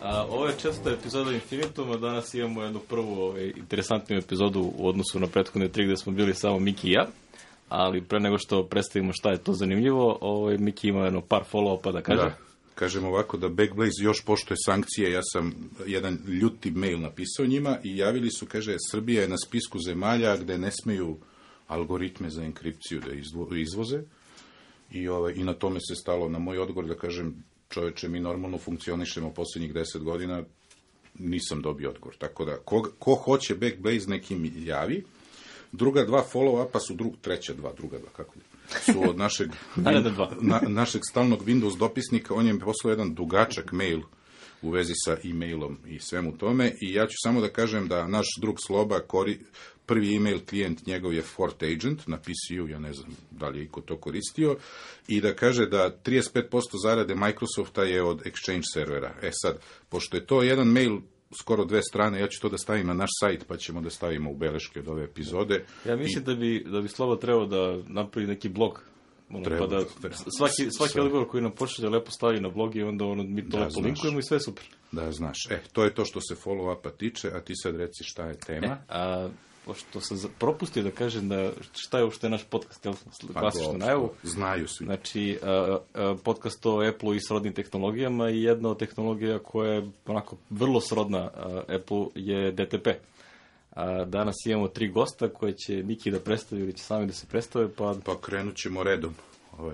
Ovo je česta epizoda Infinituma, danas imamo jednu prvu interesantnu epizodu u odnosu na prethodne 3 gde smo bili samo Miki i ja, ali pre nego što predstavimo šta je to zanimljivo, Miki ima jedno par follow-upa da kaže. Da, kažem ovako da Backblaze još poštuje sankcije, ja sam jedan ljuti mail napisao njima i javili su, kaže, Srbija je na spisku zemalja gde ne smeju algoritme za enkripciju da izvoze i na tome se stalo na moj odgovor da kažem, čoveče, mi normalno funkcionišemo poslednjih 10 godina, nisam dobio odgovor. Tako da, ko hoće Backblaze nekim javi. Druga 2 follow-upa su druga dva, kako je? Su od našeg stalnog Windows dopisnika, on je mi poslao jedan dugačak mail u vezi sa e-mailom i svemu tome i ja ću samo da kažem da naš drug Sloba, prvi e-mail klijent njegov je Fort Agent na PCU, ja ne znam da li je iko to koristio, i da kaže da 35% zarade Microsofta je od Exchange servera. Sad, pošto je to jedan mail skoro 2 strane, ja ću to da stavim na naš sajt, pa ćemo da stavimo u beleške od ove epizode. Ja mislim da bi Sloba trebao da napravi neki blog. Pa da svaki odgovor koji nam pošalje lepo stavi na blog i onda mi to lepo linkujemo i sve super. Da, znaš. To je to što se follow-upa tiče, a ti sad reci šta je tema. Pošto sam propustio da kažem da šta je uopšte naš podcast, klasično najavu. Znaju svi. Znači, podcast o Apple-u i srodnim tehnologijama i jedna od tehnologija koja je onako vrlo srodna Apple-u je DTP. Danas imamo 3 gosta koje će Miki da predstavi ili će sami da se predstave. Pa krenut ćemo redom.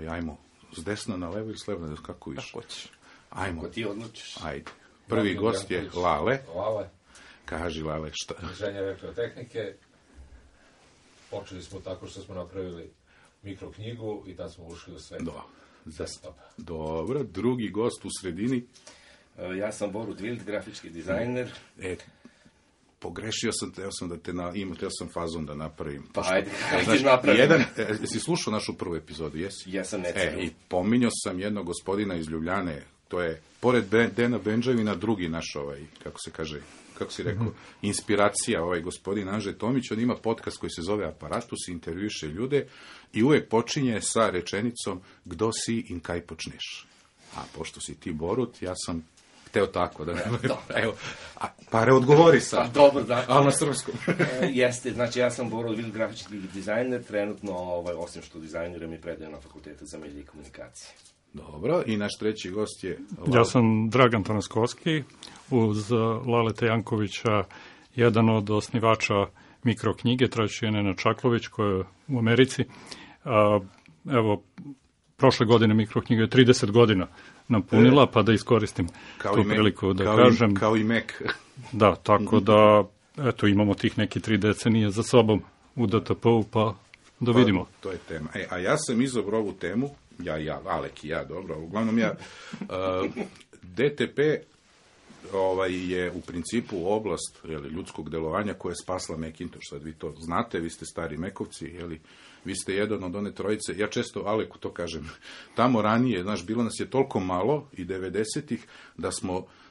Ajmo, s desna na levo i s leva, kako više. Kako hoćeš. Ajmo. Ko ti odlučiš. Ajde. Prvi gost je Lale. Kaži, Lale, šta? Inženjer elektrotehnike. Počeli smo tako što smo napravili mikroknjigu i tad smo ušli u sve desktop. Dobro, drugi gost u sredini. Ja sam Borut Wild, grafički dizajner. Pogrešio sam, teo sam fazon da napravim. Pa ajde napravim. Jesi slušao našu prvu epizodu, jesi? Ja sam necijel. I pominjao sam jednog gospodina iz Ljubljane, to je, pored Dena Benđavina, drugi naš, kako se kaže, kako si rekao, inspiracija, gospodin Anže Tomić, on ima podcast koji se zove Aparatus, intervjuše ljude i uvek počinje sa rečenicom kdo si i kaj počneš. A pošto si ti Borut, ja sam hteo tako da evo, pare odgovori sad. Dobro, da. Ali na srpskom. Jeste, znači ja sam Borut Wild, grafički dizajner, trenutno, osim što dizajniram i predajem na Fakultetu za medije i komunikacije. Dobro, i naš treći gost je... Ja sam Dragan Tanaskovski, uz Laleta Jankovića, jedan od osnivača mikroknjige, traći je Nena Čaklović, koja je u Americi. Evo, prošle godine mikroknjiga je 30 godina napunila, pa da iskoristim tu priliku da kažem. Kao i Mac. Da, tako da, eto, imamo tih neki 3 decenije za sobom u DTP-u, pa da vidimo. To je tema. A ja sam izabrao ovu temu, Alek i ja, dobro, uglavnom DTP je u principu oblast ljudskog delovanja koja je spasla Macintosh. Sad vi to znate, vi ste stari Mekovci, vi ste jedan od one trojice, ja često Aleku to kažem, tamo ranije, bilo nas je toliko malo i 90-ih da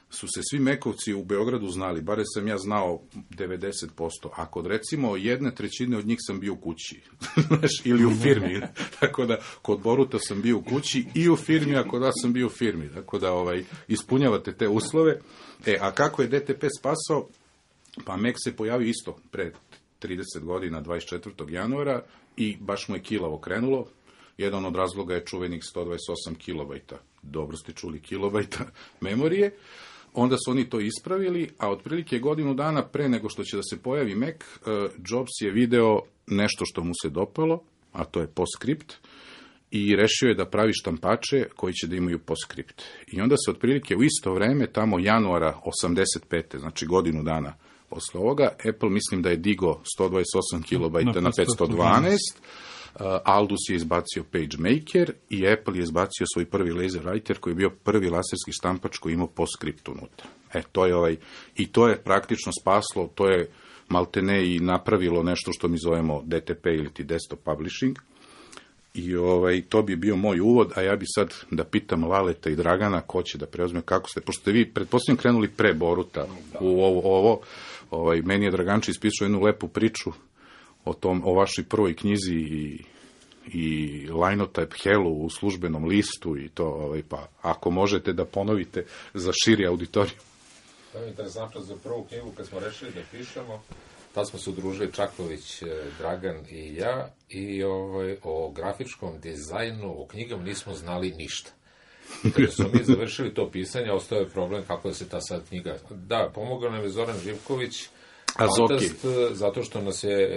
su se svi Mekovci u Beogradu znali, bare sam ja znao 90%, a kod recimo 1/3 od njih sam bio u kući, ili u firmi, tako da kod Boruta sam bio u kući i u firmi, a kod vas sam bio u firmi, tako da ispunjavate te uslove. A kako je DTP spasao? Pa Mac se pojavio isto pre 30 godina, 24. januara, i baš mu je kilavo krenulo. Jedan od razloga je čuvenih 128 kilobajta, dobro ste čuli, kilobajta memorije. Onda su oni to ispravili, a otprilike godinu dana pre nego što će da se pojavi Mac, Jobs je video nešto što mu se dopalo, a to je PostScript, i rešio je da pravi štampače koji će da imaju PostScript. I onda se otprilike u isto vreme, tamo januara 85. znači godinu dana posle ovoga, Apple mislim da je digo 128 kilobajta na 512, Aldus je izbacio PageMaker i Apple je izbacio svoj prvi LaserWriter koji je bio prvi laserski štampač koji imao PostScript unutra. To je i to je praktično spaslo, to je maltene i napravilo nešto što mi zovemo DTP ili ti desktop publishing. I to bi bio moj uvod, a ja bi sad da pitam Laleta i Dragana ko će da preuzme, kako ste, pošto ste vi pretpostavljam krenuli pre Boruta u ovo, meni je Draganči ispisao jednu lepu priču o vašoj prvoj knjizi i Linotype Hellu u službenom listu i to, pa ako možete da ponovite za širi auditoriju. To je interesantno za prvu knjigu kad smo rešili da pišemo. Tad smo se udružili Čaković, Dragan i ja i o grafičkom dizajnu, o knjigama nismo znali ništa. I kada smo mi završili to pisanje, ostao je problem kako da se ta sad knjiga... Da, pomogao nam je Zoran Živković, Fantast, zato što nas je...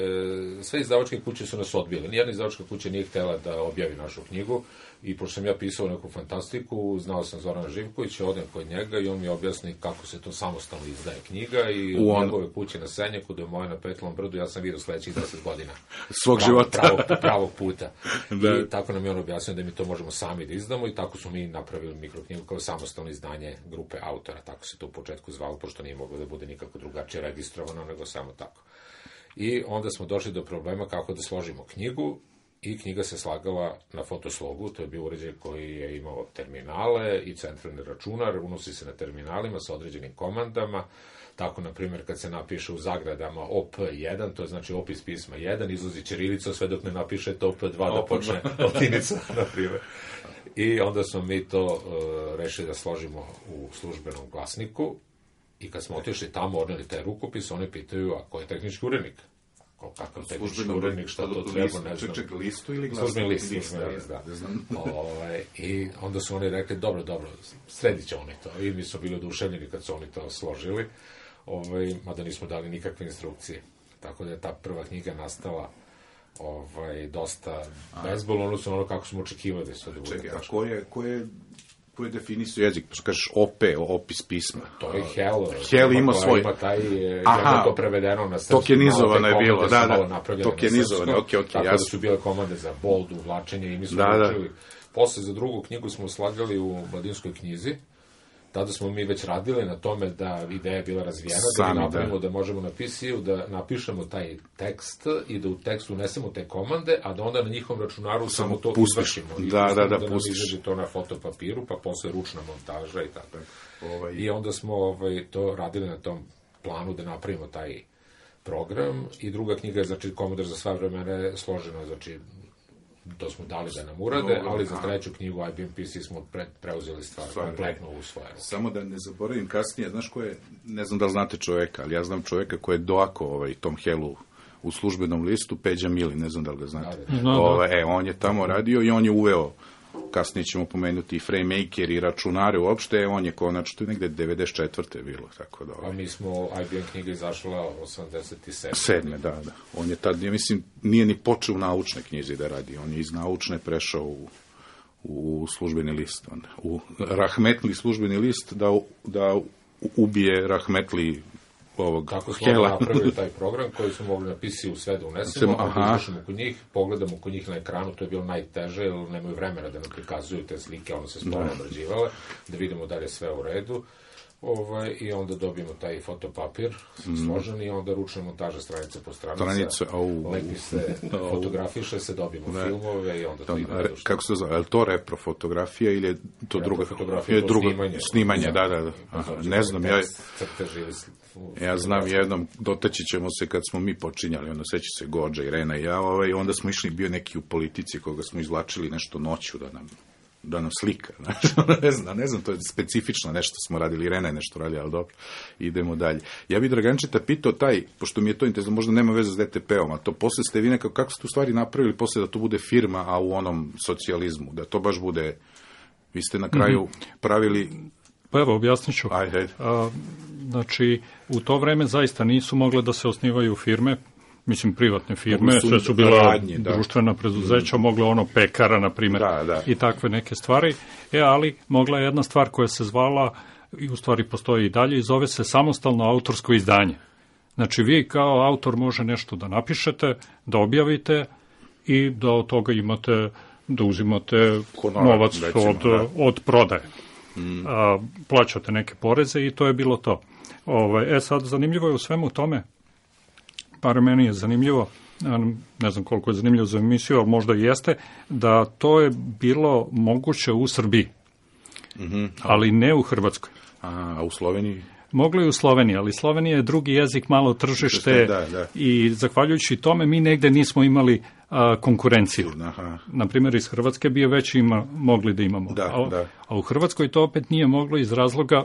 Sve izdavačke kuće su nas odbile. Nijedna izdavačka kuća nije htjela da objavi našu knjigu i pošto sam ja pisao neku fantastiku, znao sam Zorana Živkovića, odem kod njega i on mi objasni kako se to samostalno izdaje knjiga i u njegove kuće na Senjaku, da je moja na Petlom brdu, ja sam vidio sledećih 10 godina. Svog života. Pravog puta. I tako nam je on objasnio da mi to možemo sami da izdamo i tako smo mi napravili mikroknjigu kao samostalno izdanje grupe autora. Tako se to u početku zvalo, pošto nije moglo da bude nikako drugačije registrovano, nego samo tako. I onda smo došli do problema kako da složimo knjigu i knjiga se slagala na fotoslogu, to je bio uređaj koji je imao terminale i centralni računar, unosi se na terminalima sa određenim komandama, tako, na primjer, kad se napiše u zagradama OP1, to je znači opis pisma 1, izlazi ćirilica sve dok ne napišete OP2 da počne latinica, na primjer. I onda smo mi to rešili da složimo u službenom glasniku i kad smo otišli tamo, odneli taj rukopis, oni pitaju, a ko je tehnički urednik? Kakav tehnički urednik, šta to treba, ne znam. Čekaj, listu ili glasnik? Službeni list, da. I onda su oni rekli, dobro, sredit će oni to. I mi smo bili oduševljeni kad su oni to složili, mada nismo dali nikakve instrukcije. Tako da je ta prva knjiga nastala dosta bezbolno, odnosno ono kako smo očekivali da se bude. Čekaj, a ko je definisao jezik? Što kažeš OP, opis pisma? To je Hel. Hel ima svoj... Ima taj, je to prevedeno na srpski. Tokenizovano je bilo, da. Tokenizovano, okej, jasno. Tako da su bile komande za bold, uvlačenje i mi smo učili. Posle za drugu knjigu smo slagali u Mladinskoj knjizi. Tada smo mi već radili na tome da ideja je bila razvijena, da mi napravimo da možemo na PC-u da napišemo taj tekst i da u tekstu unesemo te komande, a da onda na njihovom računaru samo to izvršimo. Da nam izađe to na fotopapiru, pa posle ručna montaža i tako. I onda smo to radili na tom planu da napravimo taj program i druga knjiga je, znači, Komodor za sva vremena složena, znači, to smo dali da nam urade, ali za treću knjigu IBM PC smo preuzeli stvar kompletno u svoje. Samo da ne zaboravim kasnije, znaš ko je, ne znam da li znate čoveka, ali ja znam čoveka koji je doako Tom Helu u službenom listu, Peđa Mili, ne znam da li ga znate. On je tamo radio i on je uveo, kasnije ćemo pomenuti i FrameMaker i računare uopšte, on je konačno, to je negde 94. bilo, tako da... A mi smo, IBM knjiga izašla 87. 7. Da. On je tad, ja mislim, nije ni počeo u naučne knjizi da radi, on je iz naučne prešao u službeni list, u rahmetli službeni list da ubije rahmetli ovog Tako smo napravili taj program koji smo mogli na PC-u sve da unesemo, onda izvršimo kod njih, pogledamo kod njih na ekranu, to je bilo najteže, jer nemaju vremena da nam prikazuju te slike, ono se sporo obrađivale, da vidimo da li je sve u redu. I onda dobijemo taj fotopapir složen i onda ručna montaža stranica po stranica, lepi se, fotografiše se, dobijemo filmove i onda to ima redu. Kako se zove, je li to reprofotografija ili je to druga fotografija? Snimanje, da. Ne znam, ja znam jednom, dotaći ćemo se kad smo mi počinjali, onda seća se Gođa, Irena i ja, onda smo išli, bio neki u politici koga smo izvlačili nešto noću da nam slika, ne znam, to je specifično nešto smo radili, Irena je nešto radila, ali dobro, idemo dalje. Ja bih Dragančeta pitao pošto mi je to interesno, možda nema veze s DTP-om, a to posle ste vi nekako, kako ste u stvari napravili posle da to bude firma, a u onom socijalizmu, da to baš bude, vi ste na kraju pravili... Pa evo, objasnit ću. Znači, u to vreme zaista nisu mogle da se osnivaju firme, mislim, privatne firme, sve su bila društvena preduzeća, mogla pekara, na primjer, i takve neke stvari, ali mogla je jedna stvar koja se zvala, i u stvari postoji i dalje, i zove se samostalno autorsko izdanje. Znači, vi kao autor može nešto da napišete, da objavite i da od toga imate, da uzimate novac od prodaje. Plaćate neke poreze i to je bilo to. Sad, zanimljivo je u svemu tome, par meni je zanimljivo, ne znam koliko je zanimljivo za emisiju, ali možda i jeste, da to je bilo moguće u Srbiji, ali ne u Hrvatskoj. A u Sloveniji? Moglo je u Sloveniji, ali Slovenija je drugi jezik, malo tržište i zahvaljujući tome mi negde nismo imali konkurenciju. Naprimjer, iz Hrvatske bi je već mogli da imamo. A u Hrvatskoj to opet nije moglo iz razloga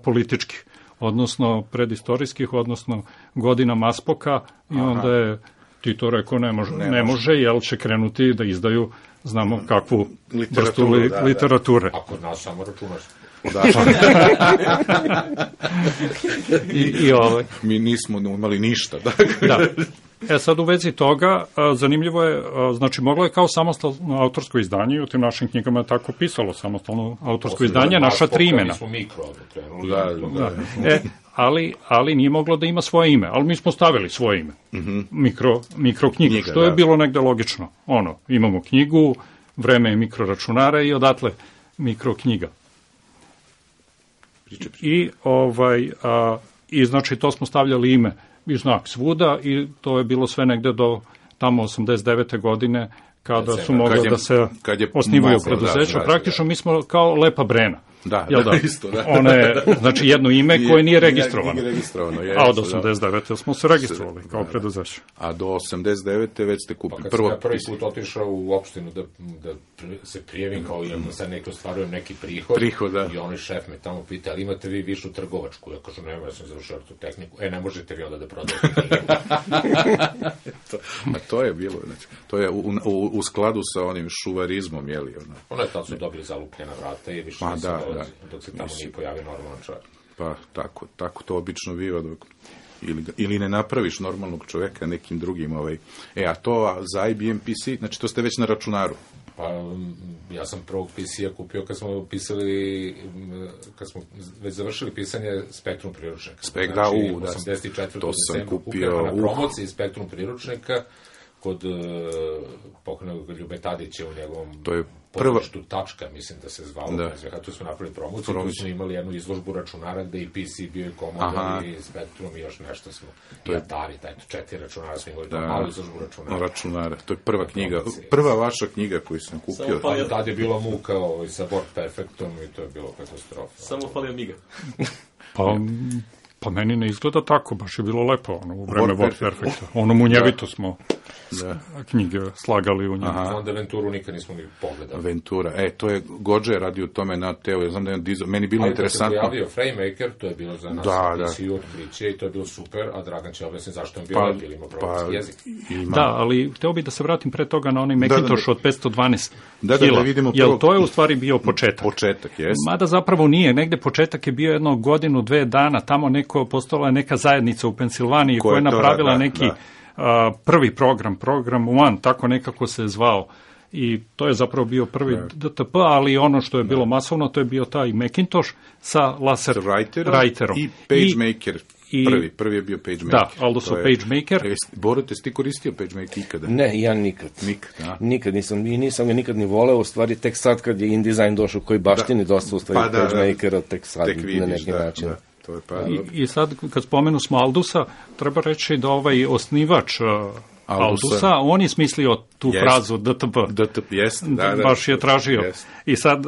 političkih. odnosno predistorijskih, odnosno godina Maspoka, i onda je Tito rekao ne može, jer će krenuti da izdaju, znamo kakvu vrstu literature. A kod nas samo računaš. Mi nismo imali ništa. Da. Sad u vezi toga, zanimljivo je, znači moglo je kao samostalno autorsko izdanje, u tim našim knjigama je tako pisalo, samostalno autorsko izdanje, naša 3 imena. Ali nije moglo da ima svoje ime, ali mi smo stavili svoje ime, mikroknjiga, što je bilo negde logično. Imamo knjigu, vreme je mikroračunara i odatle mikroknjiga. I znači to smo stavljali ime i znak svuda i to je bilo sve negde do tamo 89. godine kada su mogli da se osnivaju preduzeća. Praktično mi smo kao Lepa Brena. Da, isto, da. Ona je, znači, jedno ime koje nije registrovano. A od 89. smo se registrovali kao preduzeće. A do 89. već ste kupili. Pa kad sam ja prvi put otišao u opštinu da se prijavim, kao ja sad neki ostvarujem neki prihod, i onaj šef me tamo pita, ali imate vi višu trgovačku? Ja kažem, nema, ja sam završao tu tehniku. Ne možete vi onda da prodajete knjigu. A to je bilo, znači, to je u skladu sa onim šuvarizmom, jeli? Ono je tad su dobili zalupljena vrata i više nisu dolazi, dok se tamo nije pojavio normalan čovjek. Pa tako to obično biva, dok ili ne napraviš normalnog čoveka nekim drugim. A to za IBM PC, znači to ste već na računaru. Pa ja sam prvog PC-a kupio kad smo već završili pisanje Spektrum priručnika. Znači, 84. decembra kupio na promociji Spektrum priručnika kod pokojnog Ljube Tadića u njegovom pozorištu Tačka, mislim da se zvalo. Tu smo napravili promociju, tu smo imali jednu izložbu računara gde i PC bio i Commodore i Spektrum i još nešto smo. I Atari, 4 računara smo imali, malu izložbu računara. To je prva knjiga, prva vaša knjiga koju sam kupio. Tad je bila muka sa Word Perfectom i to je bilo katastrofa. Samo falio Amiga. Pa meni ne izgleda tako, baš je bilo lepo, u vreme Word Perfecta. Munjevito smo knjige slagali u njemu. Onda Venturu nikad nismo ni pogledali. Ventura, to je Gođe radio tome na Teo, ja znam da je meni bilo interesantno. Ali kad se pojavio FrameMaker, to je bilo za nas PC otkriće i to je bilo super, a Dragan će objasniti zašto je bio lepi, ili ima programski jezik. Da, ali hteo bih da se vratim pre toga na onaj Macintosh od 512 kila, jer to je u stvari bio početak. Početak, jes. Mada zapravo nije, negde početak je bio jedno godinu, 2 dana, tamo postala je neka zajednica u Pensilvaniji koja je napravila neki prvi program One, tako nekako se je zvao. I to je zapravo bio prvi DTP, ali ono što je bilo masovno, to je bio taj Macintosh sa laser writerom. I PageMaker. Prvi je bio PageMaker. Da, also PageMaker. Boro, te si ti koristio PageMaker ikada? Ne, ja nikad. Nikad nisam, i nisam ga nikad ni voleo, u stvari tek sad kad je InDesign došao koji baštini dosta u stvari PageMakera, tek sad na neki način. I sad, kad spomenu smo Aldusa, treba reći da osnivač Aldusa, on je smislio tu frazu DTP. Baš je tražio. I sad,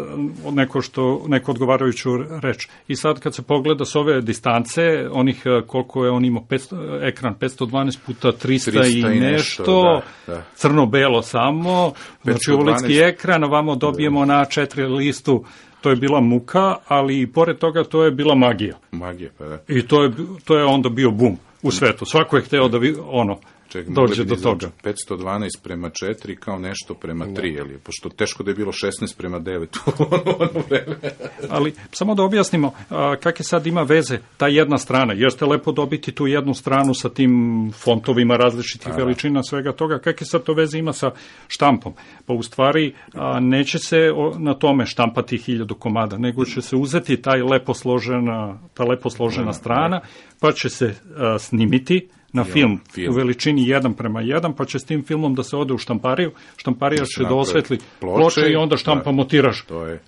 neko odgovarajuću reč. I sad, kad se pogleda s ove distance, onih koliko je on imao, ekran 512 puta 300 i nešto, crno-belo samo, znači ulički ekran, ovamo dobijemo na 4 listu. To je bila muka, ali i pored toga to je bila magija. I to je onda bio bum u svetu. Svako je hteo da dođe do toga. 512 prema 4 kao nešto prema 3, pošto teško da je bilo 16 prema 9 u vreme. Ali samo da objasnimo kakve sad ima veze ta jedna strana. Jeste lepo dobiti tu jednu stranu sa tim fontovima različitih veličina, svega toga. Kakve sad to veze ima sa štampom? Pa u stvari neće se na tome štampati 1000 komada, nego će se uzeti ta lepo složena strana, pa će se snimiti na film u veličini 1:1, pa će s tim filmom da se ode u štampariju, štamparija će da osvetli ploče i onda štampamo tiraž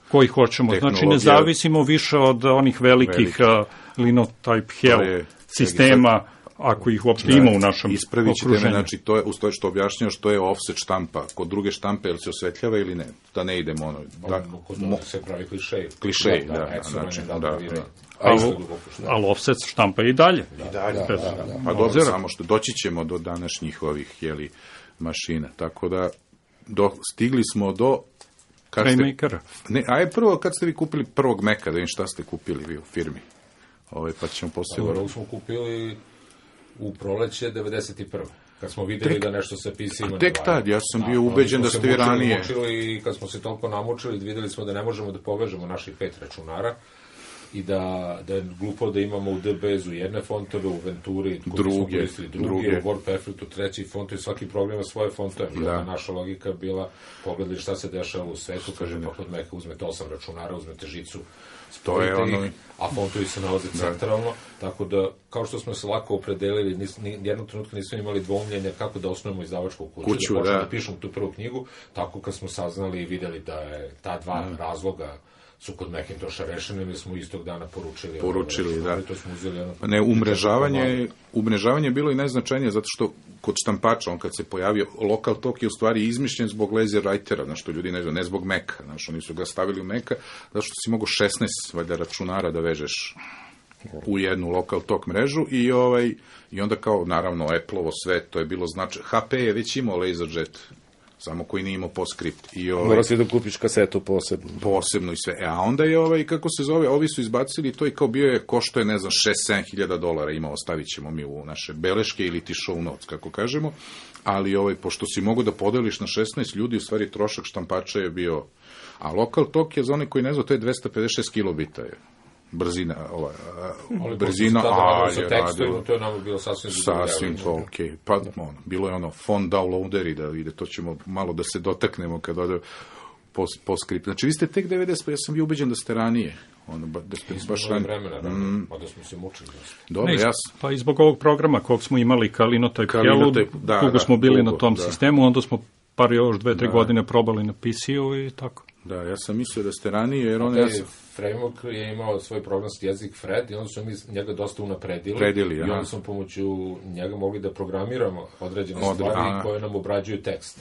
koji hoćemo. Znači ne zavisimo više od onih velikih linotype hell sistema, ako ih uopšte ima u našem okruženju. Ispravit znači to je, uz to što objašnjao što je offset štampa, kod druge štampe, ili se osvetljava ili ne, da ne idemo kod se pravi klišej, ali offset štampa i dalje. Pa dobro, samo što doći ćemo do današnjih ovih mašina, tako da stigli smo do FrameMakera. Prvo, kad ste vi kupili prvog Maca, da vidim šta ste kupili vi u firmi? Pa ćemo poslije... Ovo smo kupili u proleće 91. Kad smo videli da nešto sa PC-ima ne tek tad, ja sam bio ubeđen da ste vi ranije. I kad smo se toliko namučili, videli smo da ne možemo da povežemo naših 5 računara i da je glupo da imamo u DBZ-u jedne fontove, u Venturi druge, u WordPerfectu treći font i svaki program ima svoje fontove. Naša logika bila, pogledali šta se dešava u svetu, kaže, pa kod Maca uzmete 8 računara, uzmete žicu, spojite ih, a fontovi se nalaze centralno, tako da, kao što smo se lako opredelili, jednog trenutka nismo imali dvoumljenja kako da osnovimo izdavačku kuću, da počnemo da pišemo tu prvu knjigu, tako kad smo saznali i videli da je ta dva razloga su kod Macintosha rešeni, mi smo istog dana poručili, da. To smo uzeli umrežavanje je bilo i najznačajnije, zato što kod štampača, on kad se pojavio, Local Talk je u stvari izmišljen zbog laser writera, znaš, što ljudi ne zna, ne zbog Maca, znaš, oni su ga stavili u Maca, zato što si mogu 16 računara da vežeš u jednu Local Talk mrežu i onda kao, naravno, Apple-ovo sve, to je bilo znači, HP je već imao LaserJet, samo koji nije imao PostScript. Mora si da kupiš kasetu posebno. Posebno i sve. A onda je kako se zove, ovi su izbacili to i kao bio je, košto je, ne znam, $6-7 imao, ostavit ćemo mi u naše beleške ili ti show notes, kako kažemo, ali pošto si mogu da podeliš na 16 ljudi, u stvari trošak štampača je bio, a Local Talk je za one koji ne znam, to je 256 kilobita je. Brzina, brzina, je radio. To je nama bilo sasvim to, okej. Pa, bilo je font downloaderi da ide, to ćemo malo da se dotaknemo kad ode PostScript. Znači, vi ste tek 90, pa ja sam bio ubeđen da ste ranije. Da ste baš ranije. Pa da smo se mučili. Dobro, pa i zbog ovog programa kog smo imali, Kalinotype, dugo smo bili na tom sistemu, onda smo još 2-3 godine probali na PC-u i tako. Da, ja sam mislio da ste ranije, jer Framework je imao svoj programski jezik Fred i onda su mi njega dosta unapredili i onda smo pomoću njega mogli da programiramo određene stvari koje nam obrađuju tekst.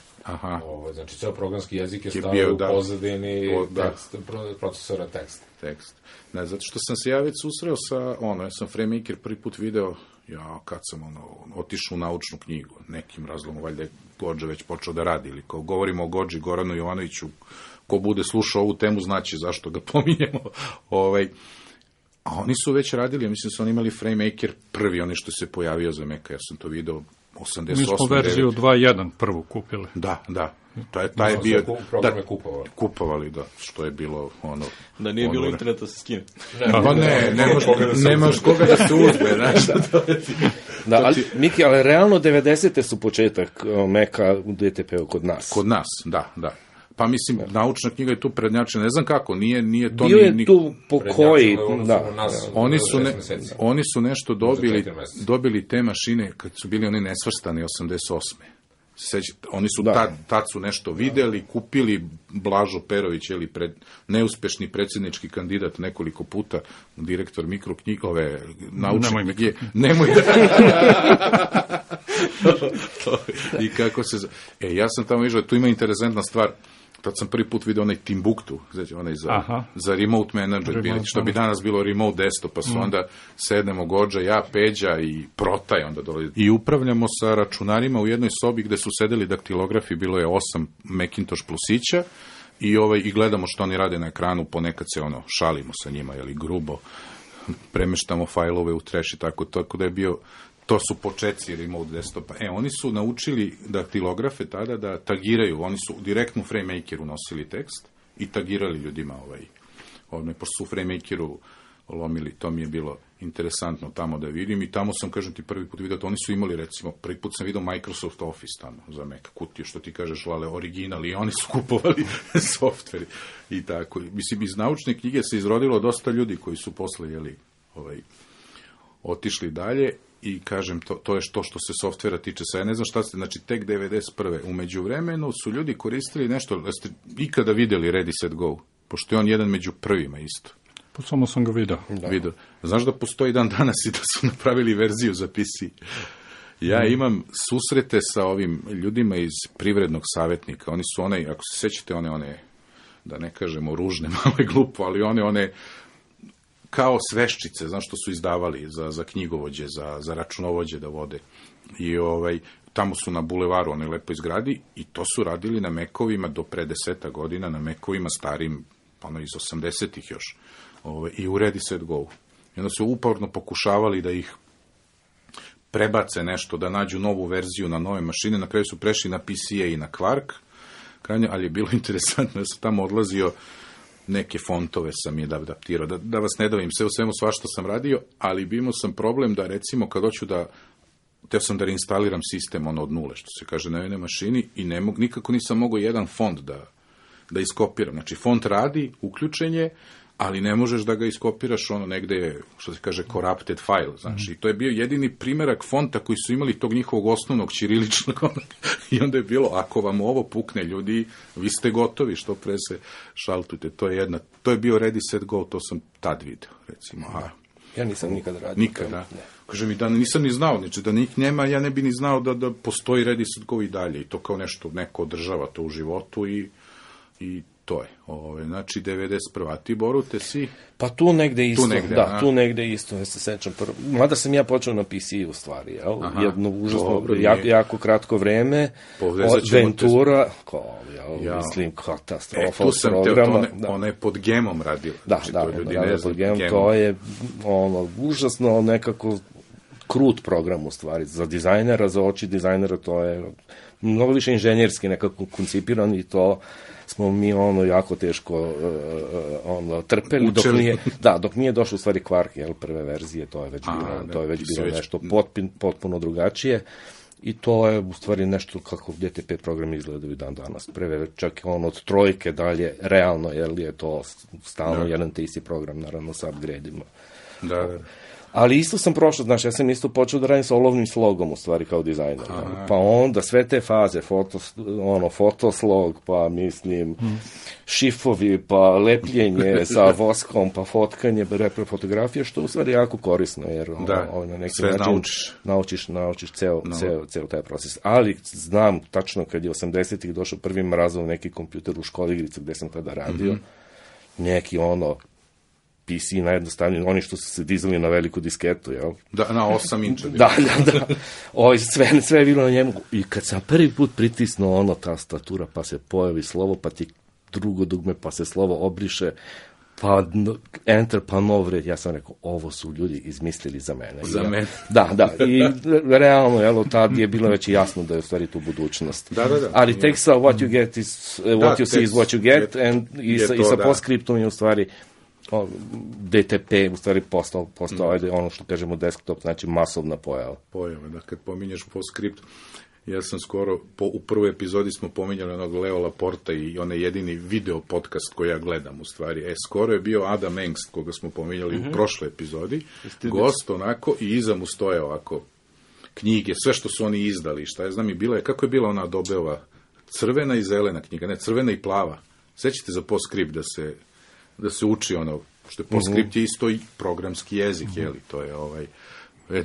Znači, ceo programski jezik je stavio u pozadini procesora tekst. Ne, zato što sam se ja već susreo sa, ja sam FrameMaker prvi put video, kad sam otišao u naučnu knjigu, nekim razlogom, valjda je Gođa već počeo da radi, ili kao govorimo o Gođi, Goranu Jovanoviću, ko bude slušao ovu temu, znači zašto ga pominjemo. A oni su već radili, ja mislim da su oni imali FrameMaker prvi, oni što se pojavio za Maca, ja sam to video 88. Mi smo verziju 2.1 prvu kupili. Da. Taj je bio... Programe kupovali, da, što je bilo Da nije bilo interneta se skine. Pa nemaš koga da se uzme, znaš. Da, ali, Miki, ali realno 90. su početak Maca u DTP-u kod nas. Kod nas, da. Pa mislim, naučna knjiga je tu prednjačena, ne znam kako, nije to... Bio je tu po koji... Oni su nešto dobili te mašine kad su bili oni nesvrstani 88. Oni su tad su nešto videli, kupili Blažo Perović, neuspešni predsjednički kandidat nekoliko puta, direktor mikroknjigove naučne knjige. Nemoj I kako se... ja sam tamo vidio, tu ima interesantna stvar. Tad sam prvi put vidio onaj Timbuktu, znači onaj za remote manager, što bi danas bilo remote desktop, pa su onda sednemo Gođa, ja, Peđa i Protaj onda dolazi. I upravljamo sa računarima u jednoj sobi gde su sedeli daktilografi, bilo je 8 Macintosh plusića i gledamo što oni rade na ekranu, ponekad se šalimo sa njima, grubo, premeštamo fajlove u trash i tako da je bio... To su početci remote desktopa. Oni su naučili daktilografe tada da tagiraju, oni su direktno u FrameMakeru nosili tekst i tagirali ljudima pošto su u FrameMakeru lomili, to mi je bilo interesantno tamo da vidim i tamo sam, kažem ti, prvi put vidio, oni su imali, recimo, prvi put sam vidio Microsoft Office tamo za Mac, kutije, što ti kažeš, Lale, original, i oni su kupovali softveri i tako. Mislim, iz naučne knjige se izrodilo dosta ljudi koji su posle, otišli dalje. I kažem, to je što se softvera tiče. Sad ja ne znam šta ste, znači tek 91. U međuvremenu su ljudi koristili nešto, da ste ikada vidjeli Ready Set Go, pošto je on jedan među prvima isto. Pa samo sam ga vidio. Znaš da postoji dan danas i da su napravili verziju za PC. Ja imam susrete sa ovim ljudima iz privrednog savjetnika. Oni su ako se sećate, one, da ne kažemo ružne, malo je glupo, ali one kao sveščice, znaš što su izdavali za knjigovođe, za računovođe da vode. I tamo su na bulevaru, onoj lepoj zgradi, i to su radili na Macovima do pre 10 godina, na Macovima starim, iz 80-ih još. I u Ready Set Go. I onda su uporno pokušavali da ih prebace nešto, da nađu novu verziju na nove mašine, na kraju su prešli na PCA i na Quark, ali je bilo interesantno da sam tamo odlazio, neke fontove sam je adaptirao, da vas ne davim, sve u svemu svašta sam radio, ali imao sam problem da, recimo, kad hoću teo sam da reinstaliram sistem od nule, što se kaže na jednoj mašini, i nikako nisam mogao jedan font da iskopiram. Znači, font radi, uključen je, ali ne možeš da ga iskopiraš negde je, što se kaže, corrupted file. Znači, to je bio jedini primerak fonta koji su imali tog njihovog osnovnog ćiriličnog, i onda je bilo, ako vam ovo pukne, ljudi, vi ste gotovi, što pre se šaltujte. To je bio Ready, Set, Go, to sam tad video, recimo. Ja nisam nikad radio. Nikad, da. Kaže mi da nisam ni znao, znači da njih nema, ja ne bi ni znao da postoji Ready, Set, Go i dalje. I to kao nešto, neko održava to u životu i to je. Znači, 91. A ti, Borute, si? Pa tu negde isto. Tu negde isto, ja se sećam. Mada sam ja počeo na PC u stvari, jel? Jedno užasno, jako kratko vreme. Ventura, mislim, katastrofa od programa. Ona je pod Gemom radila. Da, pod Gemom, to je užasno nekako krut program u stvari. Za dizajnera, za oči dizajnera, to je mnogo više inženjerski nekako koncipiran i to smo mi jako teško trpeli, dok nije došlo u stvari Quark, prve verzije, to je već bilo nešto potpuno drugačije, i to je u stvari nešto kako DTP program izgledaju dan danas. Prve, čak od trojke dalje, realno, je to stalno jedan te isti program, naravno sa upgrade-ima. Da. Ali isto sam prošao, znaš, ja sam isto počeo da radim sa olovnim slogom, u stvari, kao dizajner. Pa onda sve te faze, fotoslog, pa mislim, šifovi, pa lepljenje sa voskom, pa fotkanje, fotografije, što u stvari jako korisno, jer na neki način naučiš ceo taj proces. Ali znam tačno kad je 80-ih došao prvi mrazov neki kompjuter u školi igrice gde sam tada radio, neki PC najjednostavniji, oni što su se dizali na veliku disketu, jel? Da, na 8 inča. Da. Sve je bilo na njemu. I kad sam prvi put pritisnuo tastatura, pa se pojavi slovo, pa ti drugo dugme, pa se slovo obriše, pa enter, pa nov red. Ja sam rekao, ovo su ljudi izmislili za mene. Za mene. Da. I realno, jel, tad je bilo već jasno da je u stvari tu budućnost. Da. Ali tek sa what you get is, what you see is what you get, i sa postscriptom je u stvari DTP u stvari postao ono što kažemo desktop, znači masovna pojava. Da, kad pominješ PostScript, ja sam skoro, u prvoj epizodi smo pominjali onog Leo Laporta i onaj jedini video podcast koji ja gledam u stvari. Skoro je bio Adam Engst, koga smo pominjali u prošloj epizodi, gost onako, i iza mu stoje ovako knjige, sve što su oni izdali, šta ja znam, i bila je, kako je bila ona Adobeova, crvena i zelena knjiga, ne, crvena i plava. Sećate za PostScript da se uči što je PostScript je isto i programski jezik, to je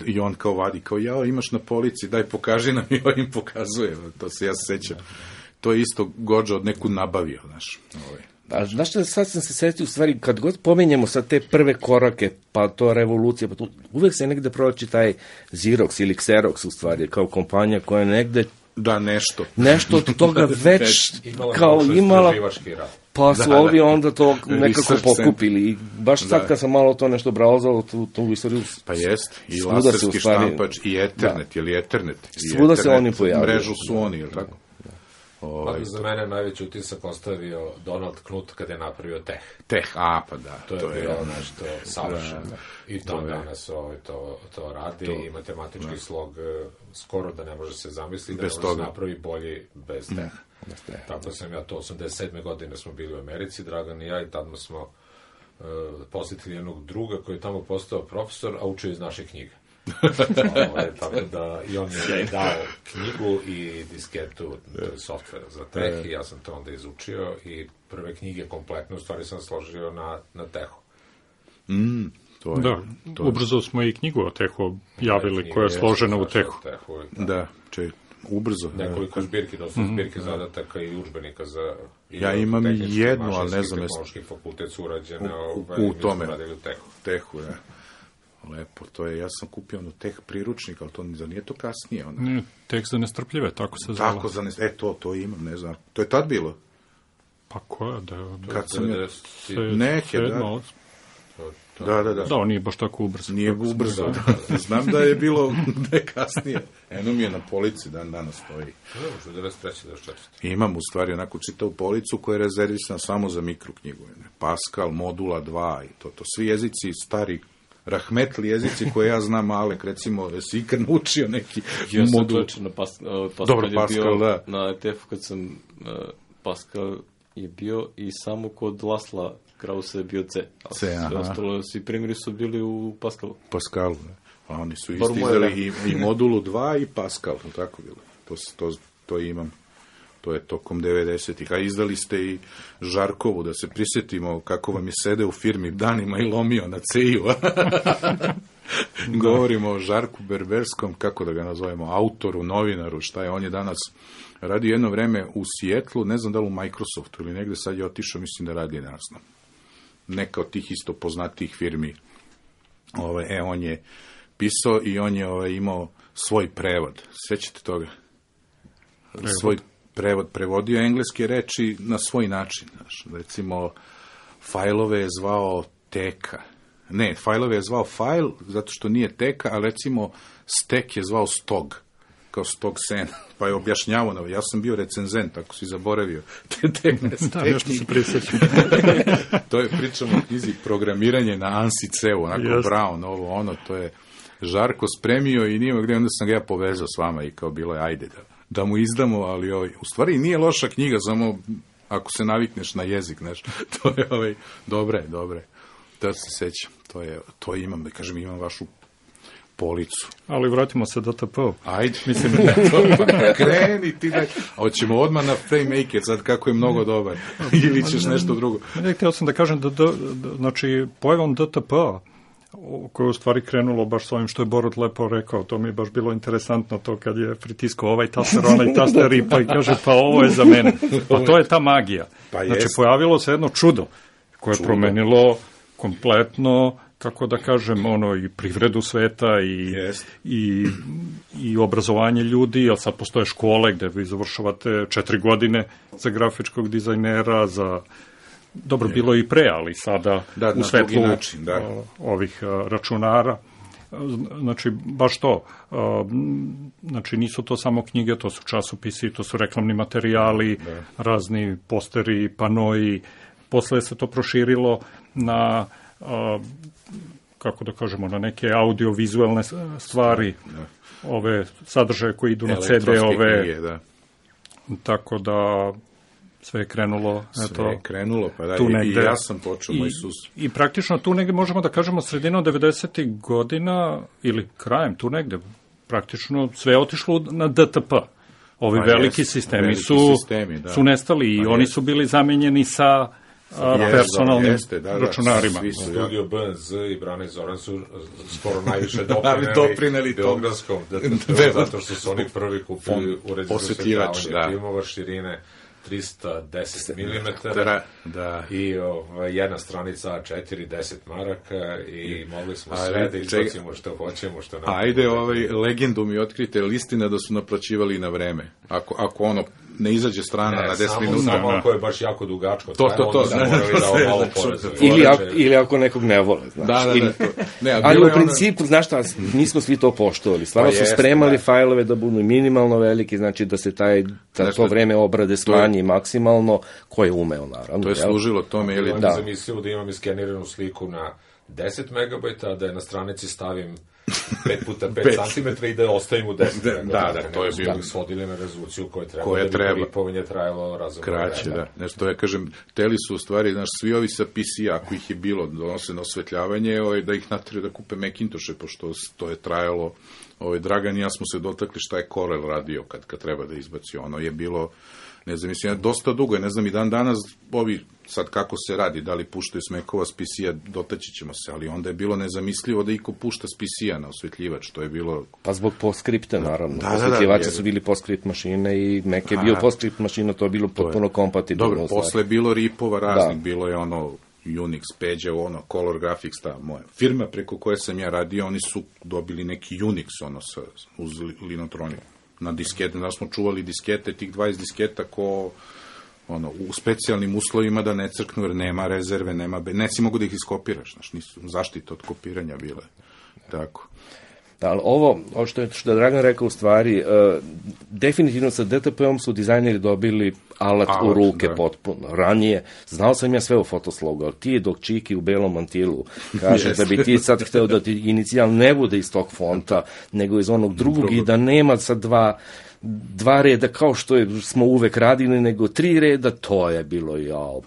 i on kao vadi, kao imaš na polici, daj pokaži nam, i on im pokazuje, to se ja sećam. To je isto Godža od neku nabavio, znaš. Znaš što, sad sam se setio, u stvari, kad god pominjemo sad te prve korake, pa to revolucija, pa to, uvek se negde proći taj Xerox ili Xerox, u stvari, kao kompanija koja negde nešto od toga već kao imala, pa su ovi onda to nekako pokupili. I baš sad kad sam malo to nešto brauzao, tu istoriju, pa jest, i laserski štampač, i Ethernet, ili Ethernet. Svuda se oni pojavili. Mrežu su oni, ili tako? Za mene najveći utisak ostavio Donald Knuth kada je napravio Teh, pa da. To je bilo nešto savršeno. I dan danas to radi, i matematički slog skoro da ne može se zamisliti, da ne može se napravi bolji bez Teh. Tako sam ja to, 87. godine smo bili u Americi, Dragan i ja, i tamo smo posjetili jednog druga koji je tamo postao profesor, a učio iz naše knjige. Tako da, i on je dao knjigu i disketu softvera za Teh, i ja sam to onda izučio, i prve knjige kompletno u stvari sam složio na Tehu. Ubrzo smo i knjigu o Tehu javili, koja je složena u Tehu. Da, ubrzo. Nekoliko zbirki, dosta zbirke zadataka i udžbenika za... Ja imam jednu, ali ne znam... Tehnološki fakultet su urađene u tome. U Tehu, ja. Lepo, to je, ja sam kupio Teh priručnik, ali to nije to kasnije. Ne, Teh za nestrpljive, tako se zvala. Tako za nestrpljive, to imam, ne znam. To je tad bilo? Pa koja, Kad sam je... Neke, da. Da, on nije baš tako ubrzo. Nije ubrzo, da. Znam da je bilo kasnije. Eno mi je na polici, danas stoji. Možda 93. da 4. Imam u stvari onako čitavu policu koja je rezervisana samo za mikroknjigu. Pascal, Modula 2 i to. Svi jezici stari, rahmetli jezici koje ja znam, Alek, recimo, jesi ikad naučio neki modul? Ja sam na Pascal. Dobro, Pascal, da. Na ETF-u kad sam Pascal je bio i samo kod Lasla Krausa je bio C. Sve ostalo, svi primjeri su bili u Pascalu. Pascalu, da. A oni su istizali i Modulu 2 i Pascal, tako bilo. To imam. To je tokom 90-ih. A izdali ste i Žarkovu, da se prisjetimo kako vam je sede u firmi danima i lomio na C-u. Govorimo o Žarku Berberskom, kako da ga nazovemo, autoru, novinaru, šta je. On je danas radio jedno vreme u Sijetlu, ne znam da li u Microsoftu ili negde, sad je otišao, mislim da radi danas. Neka od tih isto poznatih firmi. On je pisao i on je imao svoj prevod. Sjećate toga? Svoj prevod, prevodio engleske reči na svoj način. Recimo, fajlove je zvao teka. Ne, fajlove je zvao fajl, zato što nije teka, a recimo stek je zvao stog, kao stog sena. Pa je objašnjavao, ja sam bio recenzent, ako si zaboravio te tehnike. Da, nešto se prisjećam. To je, pričamo o knjizi Programiranje na ANSI C-u, onako Brown, to je Žarko spremio i nije gdje, onda sam ga ja povezao s vama i kao bilo je, ajde da mu izdamo, ali u stvari nije loša knjiga, samo ako se navikneš na jezik, to je dobre, da se sećam, to imam, da kažem, imam vašu policu. Ali vratimo se DTP-u. Ajde, mislim, kreni ti da... Hoćemo odmah na FrameMaker, sad kako je mnogo dobar, ili ćeš nešto drugo. Htio sam da kažem znači, pojavom DTP-a, koje je u stvari krenulo baš s ovim što je Borut lepo rekao, to mi je baš bilo interesantno to kad je pritiskao ovaj taster, onaj taster i kaže pa ovo je za mene. A to je ta magija. Znači pojavilo se jedno čudo koje je promenilo kompletno, kako da kažem, i privredu sveta i obrazovanje ljudi, jer sad postoje škole gde vi završavate 4 godine za grafičkog dizajnera, dobro, bilo i pre, ali sada u svetlu ovih računara. Znači, baš to. Znači, nisu to samo knjige, to su časopisi, to su reklamni materijali, razni posteri, panoji. Posle se to proširilo na, kako da kažemo, na neke audio-vizualne stvari, ove sadržaje koji idu na CD-ove. Tako da... Sve je krenulo, pa da, i ja sam počeo moj sus. I praktično tu negde možemo da kažemo sredinom 90. godina ili krajem tu negde, praktično sve je otišlo na DTP. Ovi veliki sistemi su nestali i oni su bili zamenjeni sa personalnim računarima. Studio BNZ i Brane Zoran su skoro najviše doprineli Beogradskom DTP, zato što su oni prvi kupili uređaj za osvetljavanje filmova širine 310 mm i jedna stranica A4, 10 maraka i mogli smo sve da izbacimo što hoćemo, što ne. Ajde, legendu mi otkrite, listina da su naplaćivali na vreme. Ako ne izađe strana na 10 minuta. Samo ako je baš jako dugačko, to da morali da malo porezuju. Ili ako nekog ne vole, znaš. Ali u principu, znaš šta, nismo svi to poštovali. Stvarno su spremali fajlove da budu minimalno veliki, znači da se to vreme obrade smanji maksimalno, ko je umeo, naravno. To je služilo tome, ili... Da. Zamislio da imam iskeniranu sliku na 10 megabajta, da je na stranici stavim 5x5 cm i da ostavim u 10. Da, to je bilo. Svodili na rezoluciju koja treba. Ripovanje trajalo razumno. Kraće, da. Nešto ja kažem, teli su u stvari, znaš, svi ovi sa PC-a, ako ih je bilo, donose na osvetljavanje, da ih natrije da kupe Macintoshe, pošto to je trajalo. Dragan i ja smo se dotakli šta je Corel radio kad treba da izbaci. Ono je bilo, ne znam, mislim, dosta dugo, ne znam, i dan danas ovi, sad kako se radi, da li puštaju smekova s PC-a, dotaći ćemo se, ali onda je bilo nezamislivo da iko pušta s PC-a na osvetljivač, to je bilo... Pa zbog poskripta, naravno. Osvetljivači su bili poskript mašine i Mac je bio poskripт mašina, to je bilo potpuno kompatibilno. Dobro, posle je bilo ripova raznih, bilo je Unix, Pager, Color Graphics, ta moja firma preko koje sam ja radio, oni su dobili neki Unix, uz Linotronic na diskete, da smo čuvali diskete, tih 20 disketa ko u specijalnim uslovima da ne crknu, jer nema rezerve, nesi mogu da ih iskopiraš, znaš, nisu zaštita od kopiranja bile. Tako. Da, ali ovo što je Dragan rekao u stvari, definitivno sa DTP-om su dizajneri dobili alat u ruke potpuno. Ranije, znao sam ja sve o fotoslogu, ali ti dok Čiki u belom mantilu kaže da bi ti sad hteo da ti inicijal ne bude iz tog fonta, nego iz onog drugog i da nema sad dva reda kao što smo uvek radili, nego 3 reda, to je bilo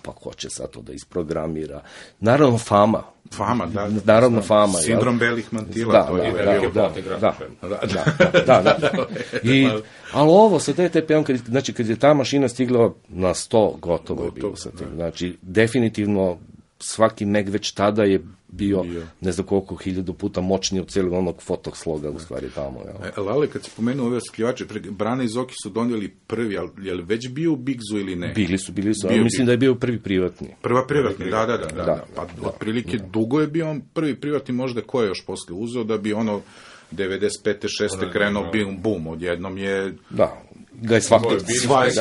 pa ko će sad to da isprogramira. Naravno Fama, naravno Fama. Sindrom belih mantila, to je bilo. Da. Ali ovo sa DTP-om, kad je ta mašina stigla na 100, gotovo je bilo sa tim. Znači, definitivno svaki Meg već tada je bio ne znam koliko 1000 puta moćniji od cijelog onog fotosloga u stvari tamo. Lale, kad si pomenuo ove oskljivače, Brana i Zoki su donijeli prvi, ali je li već bio u Bigzu ili ne? Bili su, mislim da je bio prvi privatni. Prva privatni, da. Pa otprilike dugo je bio on prvi privatni, možda ko je još posle uzeo, da bi 95. 6. krenuo boom, odjednom je... Da, ga je svaki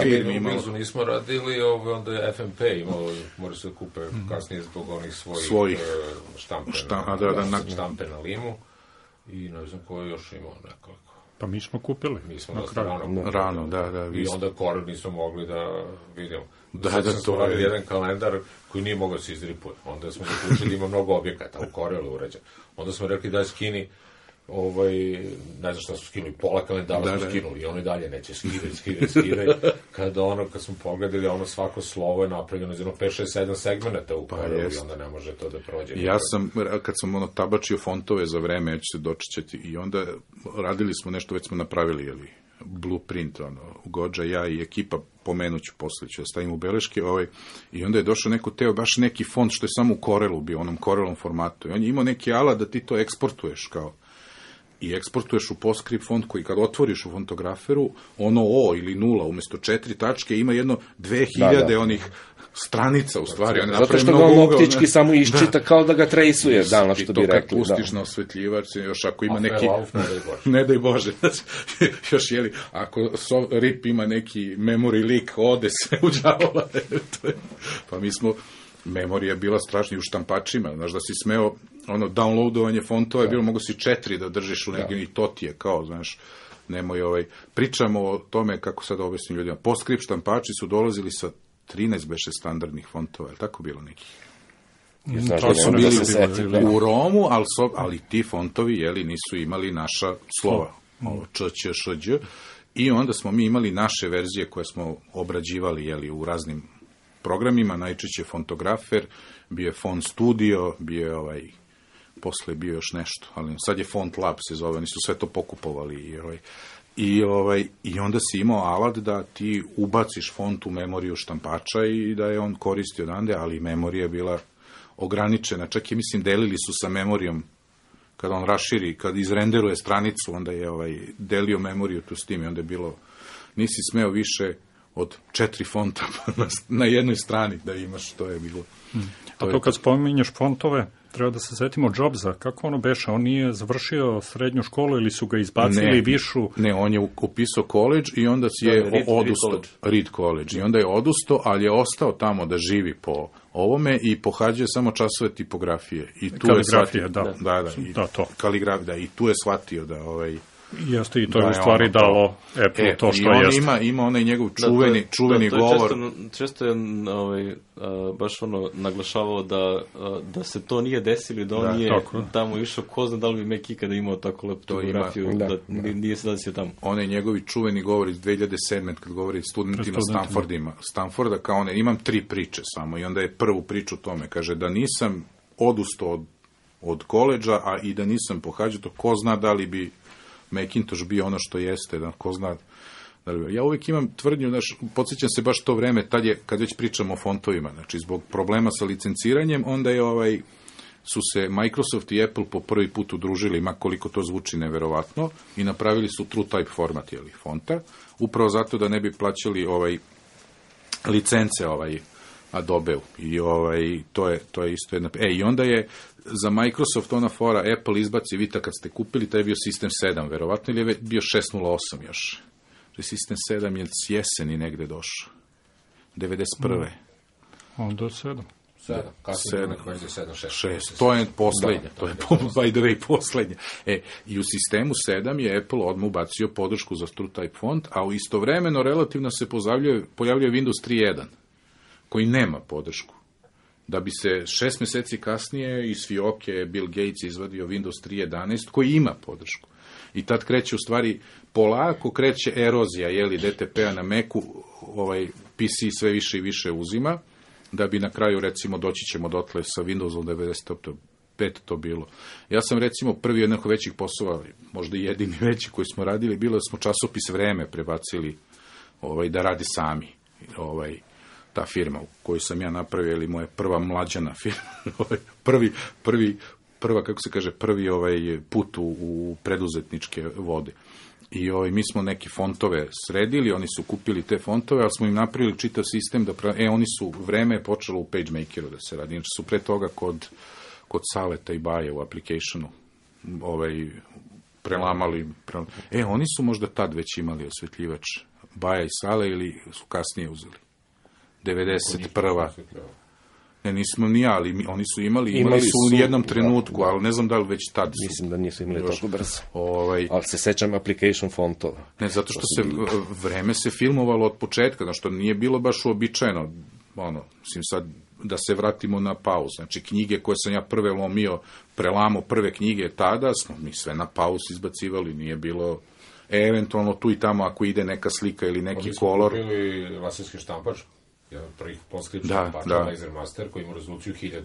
firma imao. U Bigzu nismo radili, onda je FMP imao, mora se kupe kasnije zbog onih svojih štampe na limu i ne znam ko je još imao nekoliko. Pa mi smo kupili. Mi smo dosta rano, da. I onda Corel nismo mogli da vidimo. Da, to je jedan kalendar koji nije mogao da se izripuje. Onda smo zaključili da ima mnogo objekata u Corelu uređen. Onda smo rekli daj skini, ne znam šta su skinuli, pola kalendara smo skinuli i ono i dalje neće skidaj. Kad smo pogledali, svako slovo je napravljeno iz 5, 6, 7 segmenta u Corelu i onda ne može to da prođe. Ja sam, kad sam tabačio fontove za vreme, ja ću se dočećati i onda radili smo nešto, već smo napravili, blueprint, Gođa, ja i ekipa, pomenuću posle, ću da stavim u beleške, i onda je došao neko baš neki font što je samo u Corelu bio, onom Corelom formatu. I on je imao neki alat da ti to eksportuješ i eksportuješ u PostScript font koji kad otvoriš u fontograferu, O ili 0 umesto 4 tačke ima jedno 2000 onih stranica u stvari. Zato što ga on optički samo iščita kao da ga trejsuje, danas što bi rekli. I to kad pustiš na osvetljivač, još ako ima neki... Ne daj Bože. Još ako RIP ima neki memory leak, ode se u đavola. Pa mi smo... Memorija je bila strašna i u štampačima, znaš da si smeo, downloadovanje fontova je bilo, mogo si 4 da držiš u negdje i to ti je kao, znaš, nemoj pričamo o tome, kako sad objasnim ljudima, PostScript štampači su dolazili sa 13 beše standardnih fontova, je tako bilo nekih? To su bili u Romu, ali ti fontovi, nisu imali naša slova, č, ć, š, đ, i onda smo mi imali naše verzije koje smo obrađivali, u raznim programima, najčešće Fontografer, bio je Font Studio, bio je posle bio još nešto, ali sad je Font Lab se zove, oni su sve to pokupovali i onda si imao alat da ti ubaciš font u memoriju štampača i da je on koristi odande, ali memorija je bila ograničena, čak i mislim delili su sa memorijom, kad on raširi, kad izrenderuje stranicu, onda je delio memoriju tu s tim i onda je bilo, nisi smeo više od 4 fonta na jednoj strani da imaš, to je bilo. A to kad spominješ fontove, treba da se setimo Jobsa, kako ono beše, on nije završio srednju školu ili su ga izbacili višu? Ne, on je upisao college i onda je odustao, Reed College, i onda je odustao, ali je ostao tamo da živi po ovome i pohađao samo časove tipografije. I tu kaligrafije, i tu je shvatio da jeste, i to je u stvari dalo Apple to što jeste. I ima onaj njegov čuveni govor. Često je baš naglašavao da se to nije desilo, da on nije tamo išao, ko zna da li bi Mac ikada imao tako lepu tipografiju, da nije se desio tamo. Onaj njegovi čuveni govor iz 2007. kad govori studentima Stanforda, kao imam 3 priče samo, i onda je prvu priču tome, kaže da nisam odustao od koleđa, a i da nisam pohađao to, ko zna da li bi Macintosh bio ono što jeste, da ko zna. Ja uvijek imam tvrdnju, podsjećam se baš to vreme, tad je, kad već pričamo o fontovima, znači zbog problema sa licenciranjem, onda je su se Microsoft i Apple po prvi put udružili, ma koliko to zvuči neverovatno, i napravili su TrueType format fonta, upravo zato da ne bi plaćali licence Adobe-u. I to je isto jedna... I onda je za Microsoft ona fora, Apple izbaci, vidite kad ste kupili, taj je bio System 7, verovatno, ili je bio 6.08 još. System 7 je s jeseni negde došao. 91. Onda 7. 7. Kasnije neko verzija 7, 6. To je poslednja. To je, by the way, poslednja. I u sistemu 7 je Apple odmah ubacio podršku za TrueType font, a istovremeno relativno se pojavljuje Windows 3.1, koji nema podršku. Da bi se 6 meseci kasnije iz fioke Bill Gates izvadio Windows 3.11, koji ima podršku. I tad kreće, u stvari, polako kreće erozija, DTP-a na Macu, PC sve više i više uzima, da bi na kraju, recimo, doći ćemo dotle sa Windowsom 95 to bilo. Ja sam, recimo, prvi jednog većih poslova, možda i jedini veći koji smo radili, bilo da smo časopis Vreme prebacili da radi sami. Ta firma u kojoj sam ja napravio, ili moja prva mlađana firma, prvi put u preduzetničke vode. I mi smo neke fontove sredili, oni su kupili te fontove, ali smo im napravili čitav sistem oni su, Vreme je počelo u PageMakeru da se radi, znači su pre toga kod Saleta i Baje u applicationu prelamali. Oni su možda tad već imali osvetljivač Baja i Sale, ili su kasnije uzeli? 91. Ne, nismo ni ja, ali oni su imali su u jednom trenutku, ali ne znam da li već tad su. Mislim da nisu imali toliko brzo. Ali se sećam application fontova. Ne, zato što Vreme se filmovalo od početka, što nije bilo baš uobičajeno, sad da se vratimo na pauz. Znači, knjige koje sam ja prve lomio, prelamo prve knjige tada, smo mi sve na pauz izbacivali, nije bilo eventualno tu i tamo ako ide neka slika ili neki kolor. Oni su kupili laserski štampač, jedan prvih poskripta štampača, Lasermaster, koji ima rezoluciju 1000.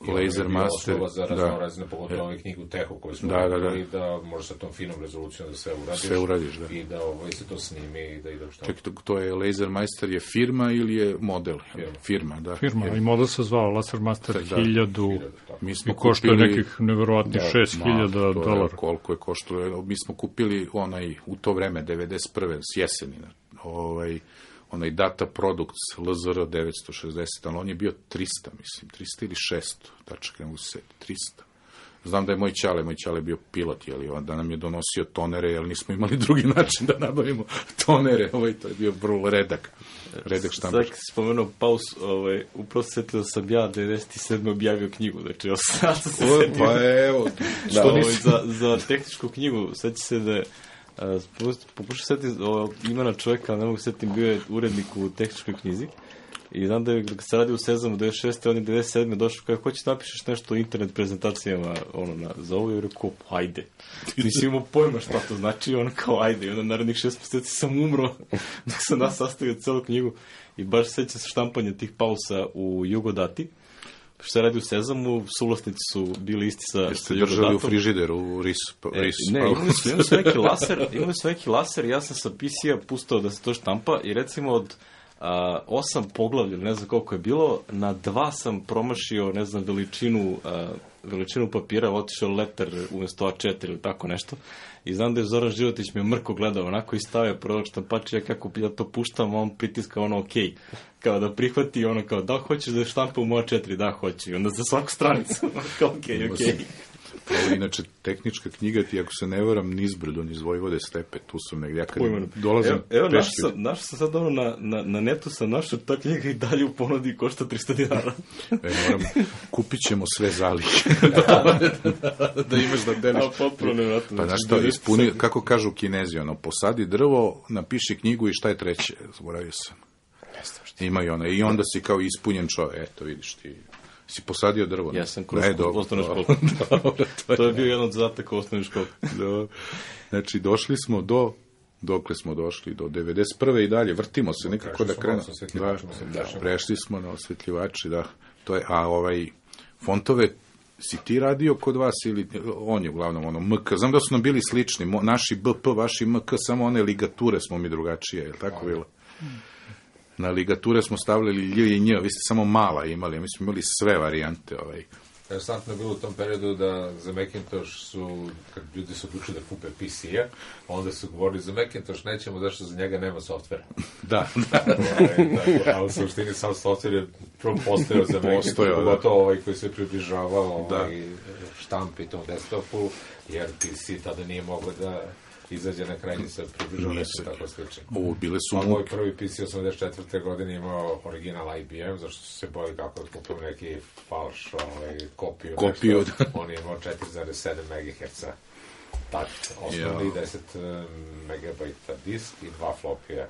Lasermaster, osnova za raznorazne, pogotovo ove knjigu Tehu koju smo napravili, da može sa tom finom rezolucijom da sve uradiš, i da se to snimi i da ide u štampu. Čekaj, to je Lasermaster je firma ili je model? Firma, da. Firma, i model se zvao Lasermaster 1000 i koštuje nekih neverovatnih $6,000. Koliko je koštuje? Mi smo kupili u to vreme, 91. s jeseni, onaj Data Products LZR 960, ali on je bio 300, mislim, 300 ili 600, tačak ne mogu se 300. Znam da je moj ćale bio pilot, da nam je donosio tonere, jer nismo imali drugi način da nabavimo tonere, to je bio vrlo redak štampač. Sad si spomenuo pauz, upravo se setio da sam ja 97. objavio knjigu, znači ja sam se setio. Pa evo, za tehničku knjigu, seća se da je pokušao setiti imena čovjeka, ne mogu setiti, bio je urednik u tehničkoj knjizi i znam da je kad se radi u Sezamu 96. on je 97. došao kao hoćeš napišeš nešto o internet prezentacijama za ovo i rekao ajde. Nisi imao pojma šta to znači, kao ajde, i onda narednih 6 mjeseci sam umro dok sam nas sastavio celu knjigu i baš seća se štampanja tih pausa u Jugodati. Što se radi u Sezamu, suvlasnici su bili isti sa Jeste držali u frižideru, u RIS. Ne, imali su neki laser, ja sam sa PC-a pustao da se to štampa i recimo od 8 poglavlja, ne znam koliko je bilo, na 2 sam promašio, ne znam, veličinu papira, otišao letter umjesto A4 ili tako nešto. I znam da je Zoran Životić me mrko gledao onako i stavio prodok štampač, ja kako ja to puštam, on pritiska ok. Kao da prihvati kao da hoćeš da štampa u moja 4, da hoću. I onda za svaku stranicu, kao ok. Inače, tehnička knjiga ti, ako se ne varam, nizbrdo, niz Vojvode stepe, tu sam negdje, ja kad dolazim... Evo, našao sam sad na netu sam našao, ta knjiga i dalje u ponudi košta $300. Kupit ćemo sve zalihe. Da imaš da deneš. Pa znaš što, ispuni, kako kažu Kinezi, posadi drvo, napiši knjigu i šta je treće, zaboravio sam. Imaju i onda si kao ispunjen čovjek, eto vidiš ti... Si posadio drvo? Ja sam kroz osnovnu školu. To je bio jedan od zadataka u osnovnoj školi. Znači, došli smo dokle smo došli, do 91. i dalje, vrtimo se, nikako da krenemo. Prešli smo na osvetljivači, da. To je, fontove, si ti radio kod vas ili on je uglavnom MK? Znam da su nam bili slični, naši BP, vaši MK, samo one ligature smo mi drugačije, je li tako bilo? Na ligature smo stavljali lj i nj, vi ste samo mala imali, mi smo imali sve varijante. Interesantno je bilo u tom periodu da za Macintosh kad ljudi su odlučili da kupe PC-a, onda su govorili za Macintosh nećemo, zašto za njega nema softvera. Da. A u suštini sam softver je prvo postojao za Macintosh, pogotovo koji se približavao štampi tom desktopu, jer PC tada nije mogao da izađe na krajnji se približao nešto tako slično. Ovo, bile su moj prvi PC 84. godine imao original IBM, zašto su se bojili kako da kupim neki falš, kopiju. On je imao 4,7 MHz tak, osnovni 10 MB disk i 2 flopija.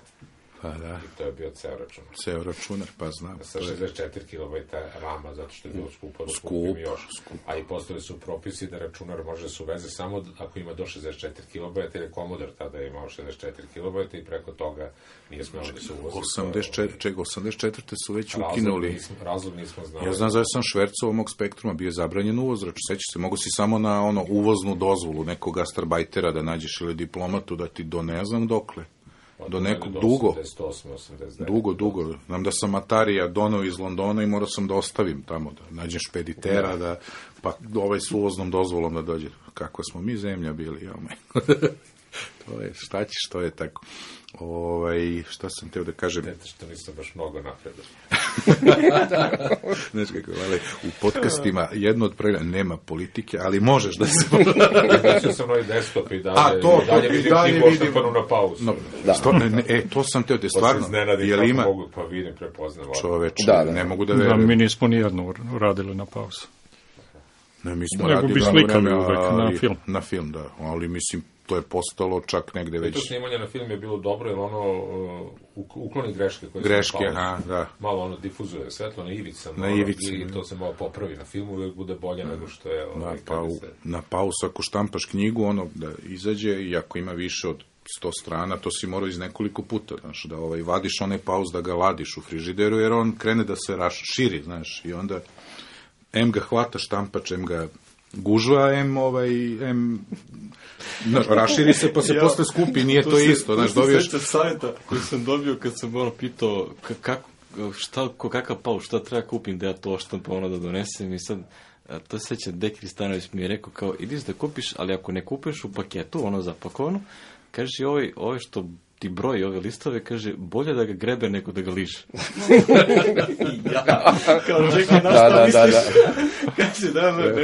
Pa da. I to je bio ceo računar. Ceo računar, pa znam. Sa 64 KB RAM-a, zato što je bilo skupo da kupim još. A i postali su propisi da računar može da se uveze samo ako ima do 64 KB, jer je Commodore tada je imao 64 KB i preko toga nije smelo da se uvozi. 84. su već ukinuli. Razlog nismo znali. Ja znam, sam švercovao mog Spektruma, bio je zabranjen uvoz, sećaš se, mogu si samo na uvoznu dozvolu nekog gastarbajtera da nađeš ili diplomatu da ti do ne znam dokle. Do nekog dugo. Znam da sam Atarija donao iz Londona i morao sam da ostavim tamo, da nađem špeditera, da, pa s uvoznom dozvolom da dođe. Kako smo mi zemlja bili, to je, šta ćeš, to je tako. Šta sam teo da kažem? Eto što nisam baš mnogo napredan. Znaš kako, u podcastima jedno od pravila nema politike, ali možeš da se... Znači sam novi desktop i dalje vidim knjigu oštapanu na pauzu. To sam teo, te stvarno... Jel ima... Pa vidim, prepoznam. Čoveče, ne mogu da verujem. Mi nismo nijedno radili na pauzu. Ne, mi smo radili bi slikali uvek na film. Na film, da, ali mislim, to je postalo čak negde već... To snimanje na film je bilo dobro, jer ukloni greške koje da. Malo difuzuje svetlo na ivici. I to se malo popravi na filmu, uvijek bude bolje nego što je... Na pauzu, ako štampaš knjigu, da izađe, i ako ima više od 100 strana, to si morao iz nekoliko puta, znaš, da vadiš onaj pauz, da ga ladiš u frižideru, jer on krene da se širi, znaš, i onda M ga hvata štampač, M ga gužva, raširi se pa se posle skupi, nije to isto. To se sjeća savjeta koji sam dobio kad sam pitao kakav pauz, šta treba kupim da ja to oštampam da donesem, i sad to se sjeća, Deki Stanović mi je rekao kao, ideš da kupiš, ali ako ne kupiš u paketu, zapakovano, kaže, ovo što ti broji ove listove, kaže, bolje da ga grebe nego da ga liže. Kao, čekaj, na šta misliš? Kaže,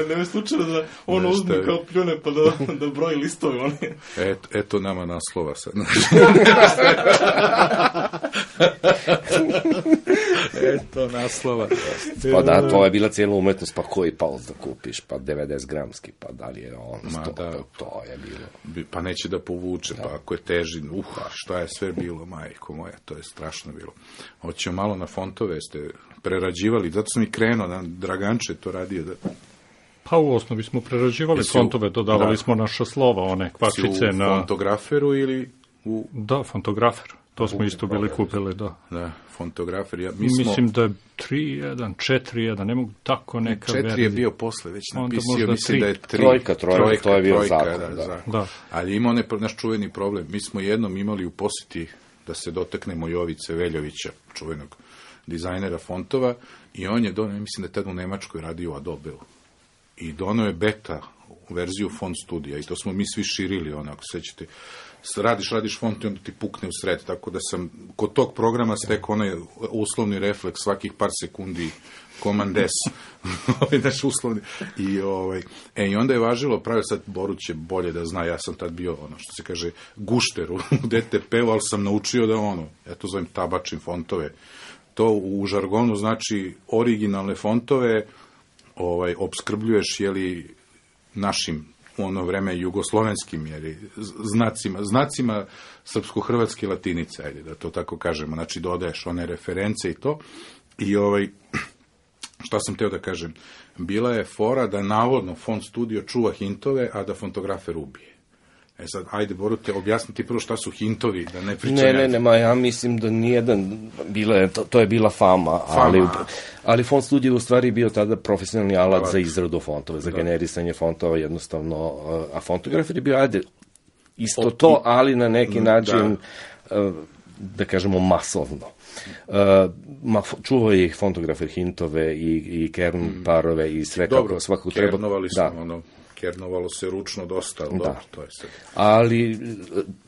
nema slučajno da ono uzme kao pljune pa da broji listove. Eto nama naslova sad. Eto naslova. Pa da, to je bila cijela umetnost, pa koji pauz da kupiš, pa 90 gramski, pa da li je on 100, to je bilo. Pa neće da povuče, pa ako je teži, šta je sve bilo, majko moja, to je strašno bilo. Hoćemo malo na fontove, ste prerađivali, zato sam i krenuo, Draganče to radio da... Pa u osnovi smo prerađivali fontove, dodavali smo naša slova, one kvačice na... U fontograferu ili u... Da, fontografer. To smo isto bili kupili, da. Da, fontografer. Mislim da je 3.1, 4.1, ne mogu tako neka verzija. 4 je bio posle, već napisio, mislim da je 3. Trojka, to je bio zakon. Da. Ali imao naš čuveni problem. Mi smo jednom imali u posjeti da se dotaknemo Jovice Veljovića, čuvenog dizajnera fontova, i on je donio, mislim da je tada u Nemačkoj radio Adobe-u. I donio je beta verziju font studija, i to smo mi svi širili, ako sećate. Radiš font i onda ti pukne u sred, tako da sam kod tog programa stekao onaj uslovni refleks svakih par sekundi, Command S, naš uslovni, i onda je važilo, pravi sad Borut će bolje da zna, ja sam tad bio, što se kaže, gušter u DTP-u, ali sam naučio da eto zovem tabačim fontove. To u žargonu znači originalne fontove opskrbljuješ, našim u ono vreme jugoslovenskim znacima srpsko-hrvatske latinice, ajde da to tako kažemo, znači dodaješ one reference i to. I šta sam teo da kažem, bila je fora da navodno font studio čuva hintove, a da fontografer ubije. Sad, ajde, Borute, objasniti prvo šta su hintovi, da ne pričam. Ne, ja mislim da nijedan, to je bila fama. Ali font studio u stvari bio tada profesionalni alat za izradu fontova, za generisanje fontova jednostavno, a fontografer je bio, isto to, ali na neki način, da kažemo, masovno. Čuvao je ih fontografer hintove i kern parove i sve kako svakog treba. Kernovali smo, kernovalo se ručno dosta, ali dobro, to je sve. Ali,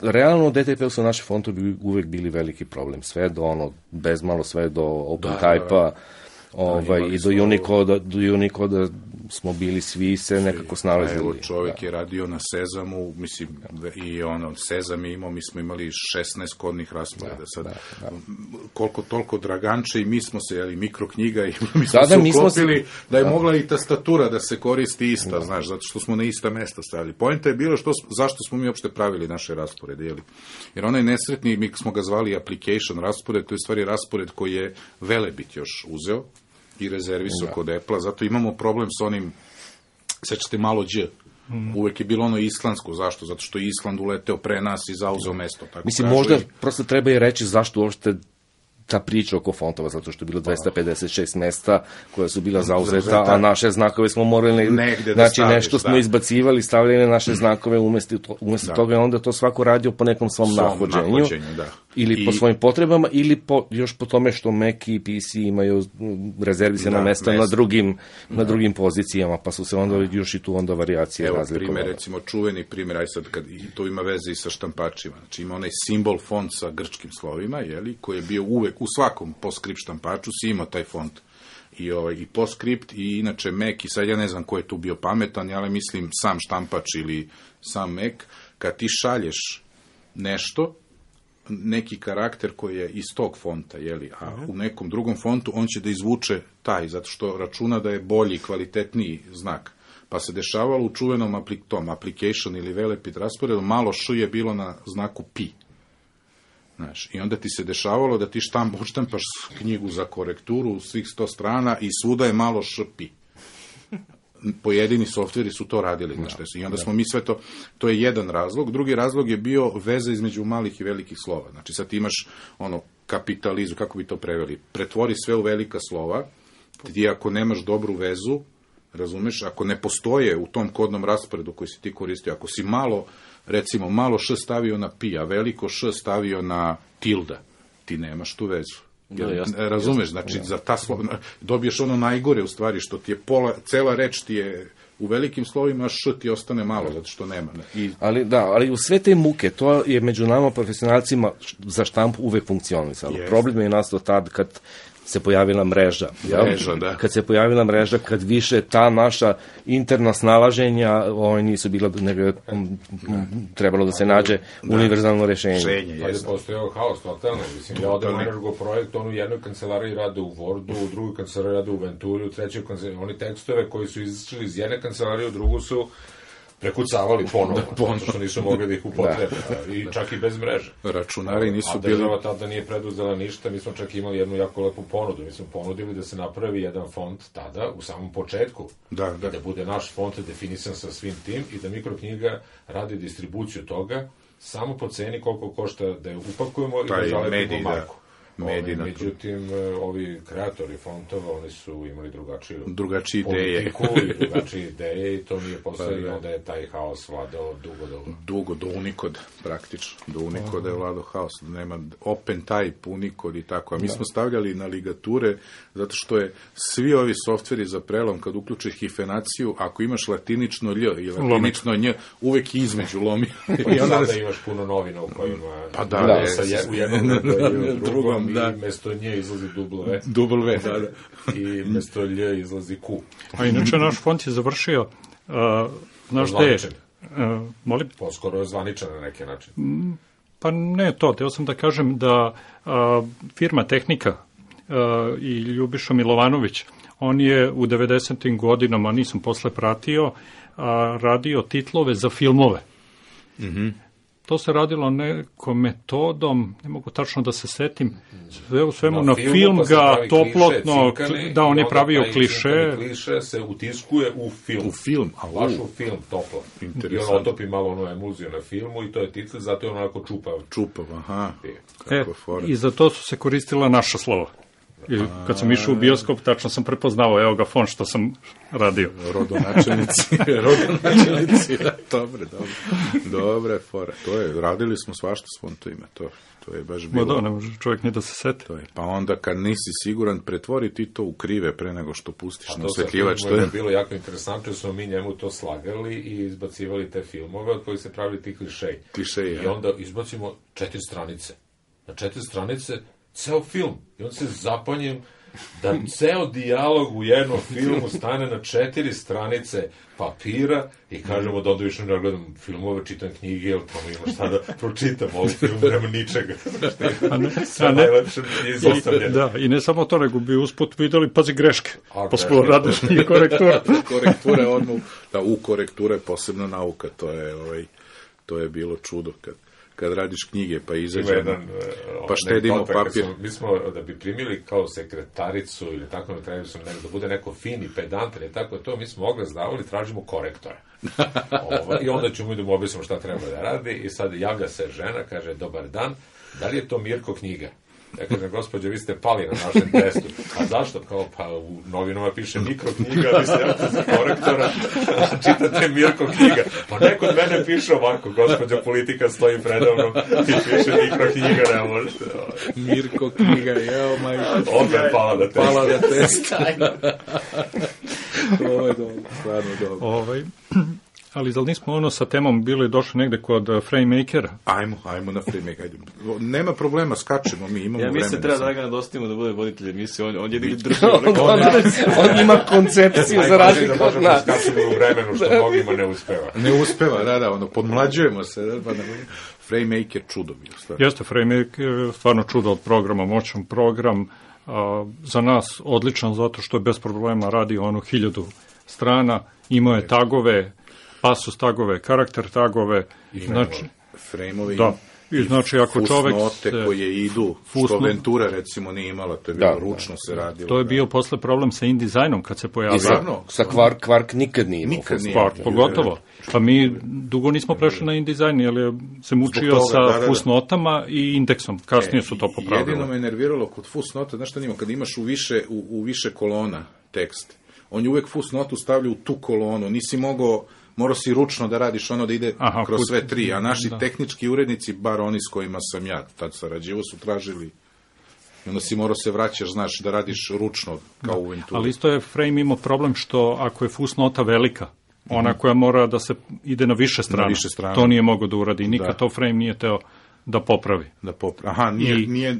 realno u DTP-u su naši fontovi uvek bili veliki problem. Sve do bezmalo, sve do OpenType-a. I do Unicoda smo bili svi se nekako snalazili. Evo, čovjek je radio na Sezamu, mislim, i Sezam je imao, mi smo imali 16 kodnih rasporeda. Koliko toliko Draganče i mi smo se, mikroknjiga i mi smo se uklopili da je mogla i tastatura da se koristi ista, znaš, zato što smo na ista mesta stavili. Poenta je bilo zašto smo mi uopšte pravili naše rasporede, jer onaj nesretni, mi smo ga zvali application raspored, to je stvari raspored koji je Velebit još uzeo i rezervisao kod Apple-a, zato imamo problem s onim, sećate malo Đ, uvek je bilo ono islandsko, zašto? Zato što je Island uleteo pre nas i zauzeo mesto. Mislim, možda prosto treba i reći zašto uopšte ta priča oko fontova, zato što je bilo 256 mesta koja su bila zauzeta, a naše znakove smo morali, znači nešto smo izbacivali, stavljali naše znakove umesto toga je onda to svako radio po nekom svom nahođenju, ili po svojim potrebama, ili još po tome što Mac i PC imaju rezervisana mesta na drugim pozicijama, pa su se onda još i tu onda varijacije razlikovale. Evo, recimo, čuveni primjer, aj sad, kad to ima veze i sa štampačima, znači ima onaj simbol font sa grčkim slovima, koji je bio uvek u svakom PostScript štampaču si ima taj font i PostScript i inače Mac i sad ja ne znam ko je tu bio pametan, ali mislim sam štampač ili sam Mac, kad ti šalješ nešto, neki karakter koji je iz tog fonta, a u nekom drugom fontu on će da izvuče taj, zato što računa da je bolji, kvalitetniji znak. Pa se dešavalo u čuvenom application ili Velebit rasporedu, malo š je bilo na znaku pi. Znaš, i onda ti se dešavalo da ti odštampaš knjigu za korekturu u svih 100 strana i svuda je malo špi. Pojedini softveri su to radili. I onda smo mi sve to je jedan razlog. Drugi razlog je bio veza između malih i velikih slova. Znači sad ti imaš kapitalizu, kako bi to preveli? Pretvori sve u velika slova, ti ako nemaš dobru vezu, razumeš, ako ne postoje u tom kodnom rasporedu koji si ti koristio, ako si recimo malo š stavio na pi, a veliko š stavio na tilda, ti nemaš tu vezu. Razumeš, znači za ta slova dobiješ ono najgore u stvari, što ti je cela reč ti je u velikim slovima, a š ti ostane malo, zato što nema. Ali u sve te muke, to je među nama profesionalcima za štampu uvek funkcionisalo. Problem je nastao tad kad se pojavila mreža. Kad se pojavila mreža, kad više ta naša interna snalaženja nisu bila, nego trebalo da se nađe univerzalno rešenje. Ali postojao haos, totalno. Mislim, ja odem u Energo projekt, on u jednoj kancelariji rade u Wordu, u drugoj kancelariji rade u Venturi, u trećoj kancelariji, oni tekstove koji su izašli iz jedne kancelarije u drugu su prekucavali ponovno, što nisu mogli da ih upotrebe, i čak i bez mreže. Računari nisu bili... A država tada nije preduzela ništa, mi smo čak imali jednu jako lepu ponudu, mi smo ponudili da se napravi jedan font tada, u samom početku, i da bude naš font definisan sa svim tim, i da Mikroknjiga radi distribuciju toga, samo po ceni koliko košta da je upakujemo i da zalepimo marku. Međutim, ovi kreatori fontova, oni su imali drugačije politiku i drugačije ideje i to nije postao i onda je taj haos vladao dugo do Unicode, praktično. Do Unicode je vladao haos. Nema open type, Unicode i tako. A mi smo stavljali na ligature, zato što je svi ovi softveri za prelom, kad uključiš hifenaciju, ako imaš latinično lj i latinično nj, uvek između lomi. I onda imaš puno novina u kojima u jednom i u drugom, i mesto nje izlazi W. I mesto lj izlazi Q. A inače naš font je završio, znaš gde je? Molim? Poskoro je zvaničan na neki način. Pa ne to, teo sam da kažem da firma Tehnika i Ljubiša Milovanović, on je u 90. godinama, nisam posle pratio, radio titlove za filmove. To se radilo nekom metodom, ne mogu tačno da se setim, sve u svemu na film ga toplotno, da on je pravio kliše. Kliše se utiskuje u film. Baš u film toplo. I on otopi malo ono emulziju na filmu i to je titl, zato je onako čupav. Aha. I za to su se koristila naša slova. I kad sam išao u bioskop, tačno sam prepoznao, evo ga font što sam radio. Rodonačelnici, dobre fora. Radili smo svašta s fontovima, to je baš bilo. Ne može čovjek ni da se seti. Pa onda kad nisi siguran, pretvori ti to u krive pre nego što pustiš na osvetljivač. To je bilo jako interesantno, smo mi njemu to slagali i izbacivali te filmove od kojih se pravili ti klišeji. I onda izbacimo 4 stranice. Na 4 stranice ceo film. I on se zapanjem da ceo dijalog u jednom filmu stane na 4 stranice papira i kažemo da onda više ne gledam filmove, čitam knjige, jer tamo ima šta da pročitam, ovdje film nema ničega. Sve najlepše je izostavljeno. Da, i ne samo to, nego bi usput videli, pazi, greške. Posle radiš nije korektura. Korekture, u korekture posebna nauka, to je bilo čudo kad radiš knjige, pa izađe, pa štedimo papir. Mi smo, da bi primili kao sekretaricu ili tako, da bude neko fini, pedantan i tako to, mi smo oglas davali, tražimo korektore. I onda ćemo da mu objasnimo šta treba da radi i sad javlja se žena, kaže, dobar dan, da li je to Mirko knjiga? Ja kažem, gospođo, vi ste pali na našem testu. A zašto? Kao, pa u novinama piše mikroknjiga, vi se javite za korektora, čitate Mirko knjiga. Pa neko od mene piše ovako, gospođa politika stoji predavnom i piše mikroknjiga, ne možete. Mirko knjiga, jeo, majko. Onda je pala na test. Pala na test. Ovo je dobro, stvarno dobro. Ali da li nismo sa temom bili došli negde kod Framemakera? Ajmo na Framemaker. Nema problema, skačemo mi, imamo vremena. Ja mislim da treba Dragana dostavimo da bude voditelj emisije, on je držao. On ima koncepciju za razliku od nas. Skačemo u vremenu što mnogima ne uspeva. Ne uspeva, da, podmlađujemo se. Framemaker čudo bio. Jeste, Framemaker stvarno čudo od programa, moćan program. Za nas odličan zato što je bez problema radio 1000 strana, imao je tagove, pasus tagove, karakter tagove, znači frame-ovi, i znači ako čovek fusnote koje idu, što Ventura recimo nije imala, to je bilo ručno se radilo. To je bio posle problem sa InDesignom kad se pojavio. Sa Quark nikad nije imao. Quark, pogotovo. Pa mi dugo nismo prešli na InDesign, jer se mučio sa fusnotama i indeksom. Kasnije su to popravili. Jedino me nerviralo kod fusnota, znaš šta nima, kad imaš u više kolona tekst, on je uvek fusnotu stavlja u tu kolonu, nisi morao si ručno da radiš ono da ide kroz sve tri, a naši tehnički urednici, bar oni s kojima sam ja tad sarađivo, su tražili i onda si morao se vraćaš, znaš, da radiš ručno kao u Venturi. Ali isto je Frame imao problem što ako je fusnota velika, ona koja mora da se ide na više strana, to nije mogao da uradi, nikad to Frame nije teo da popravi. Aha,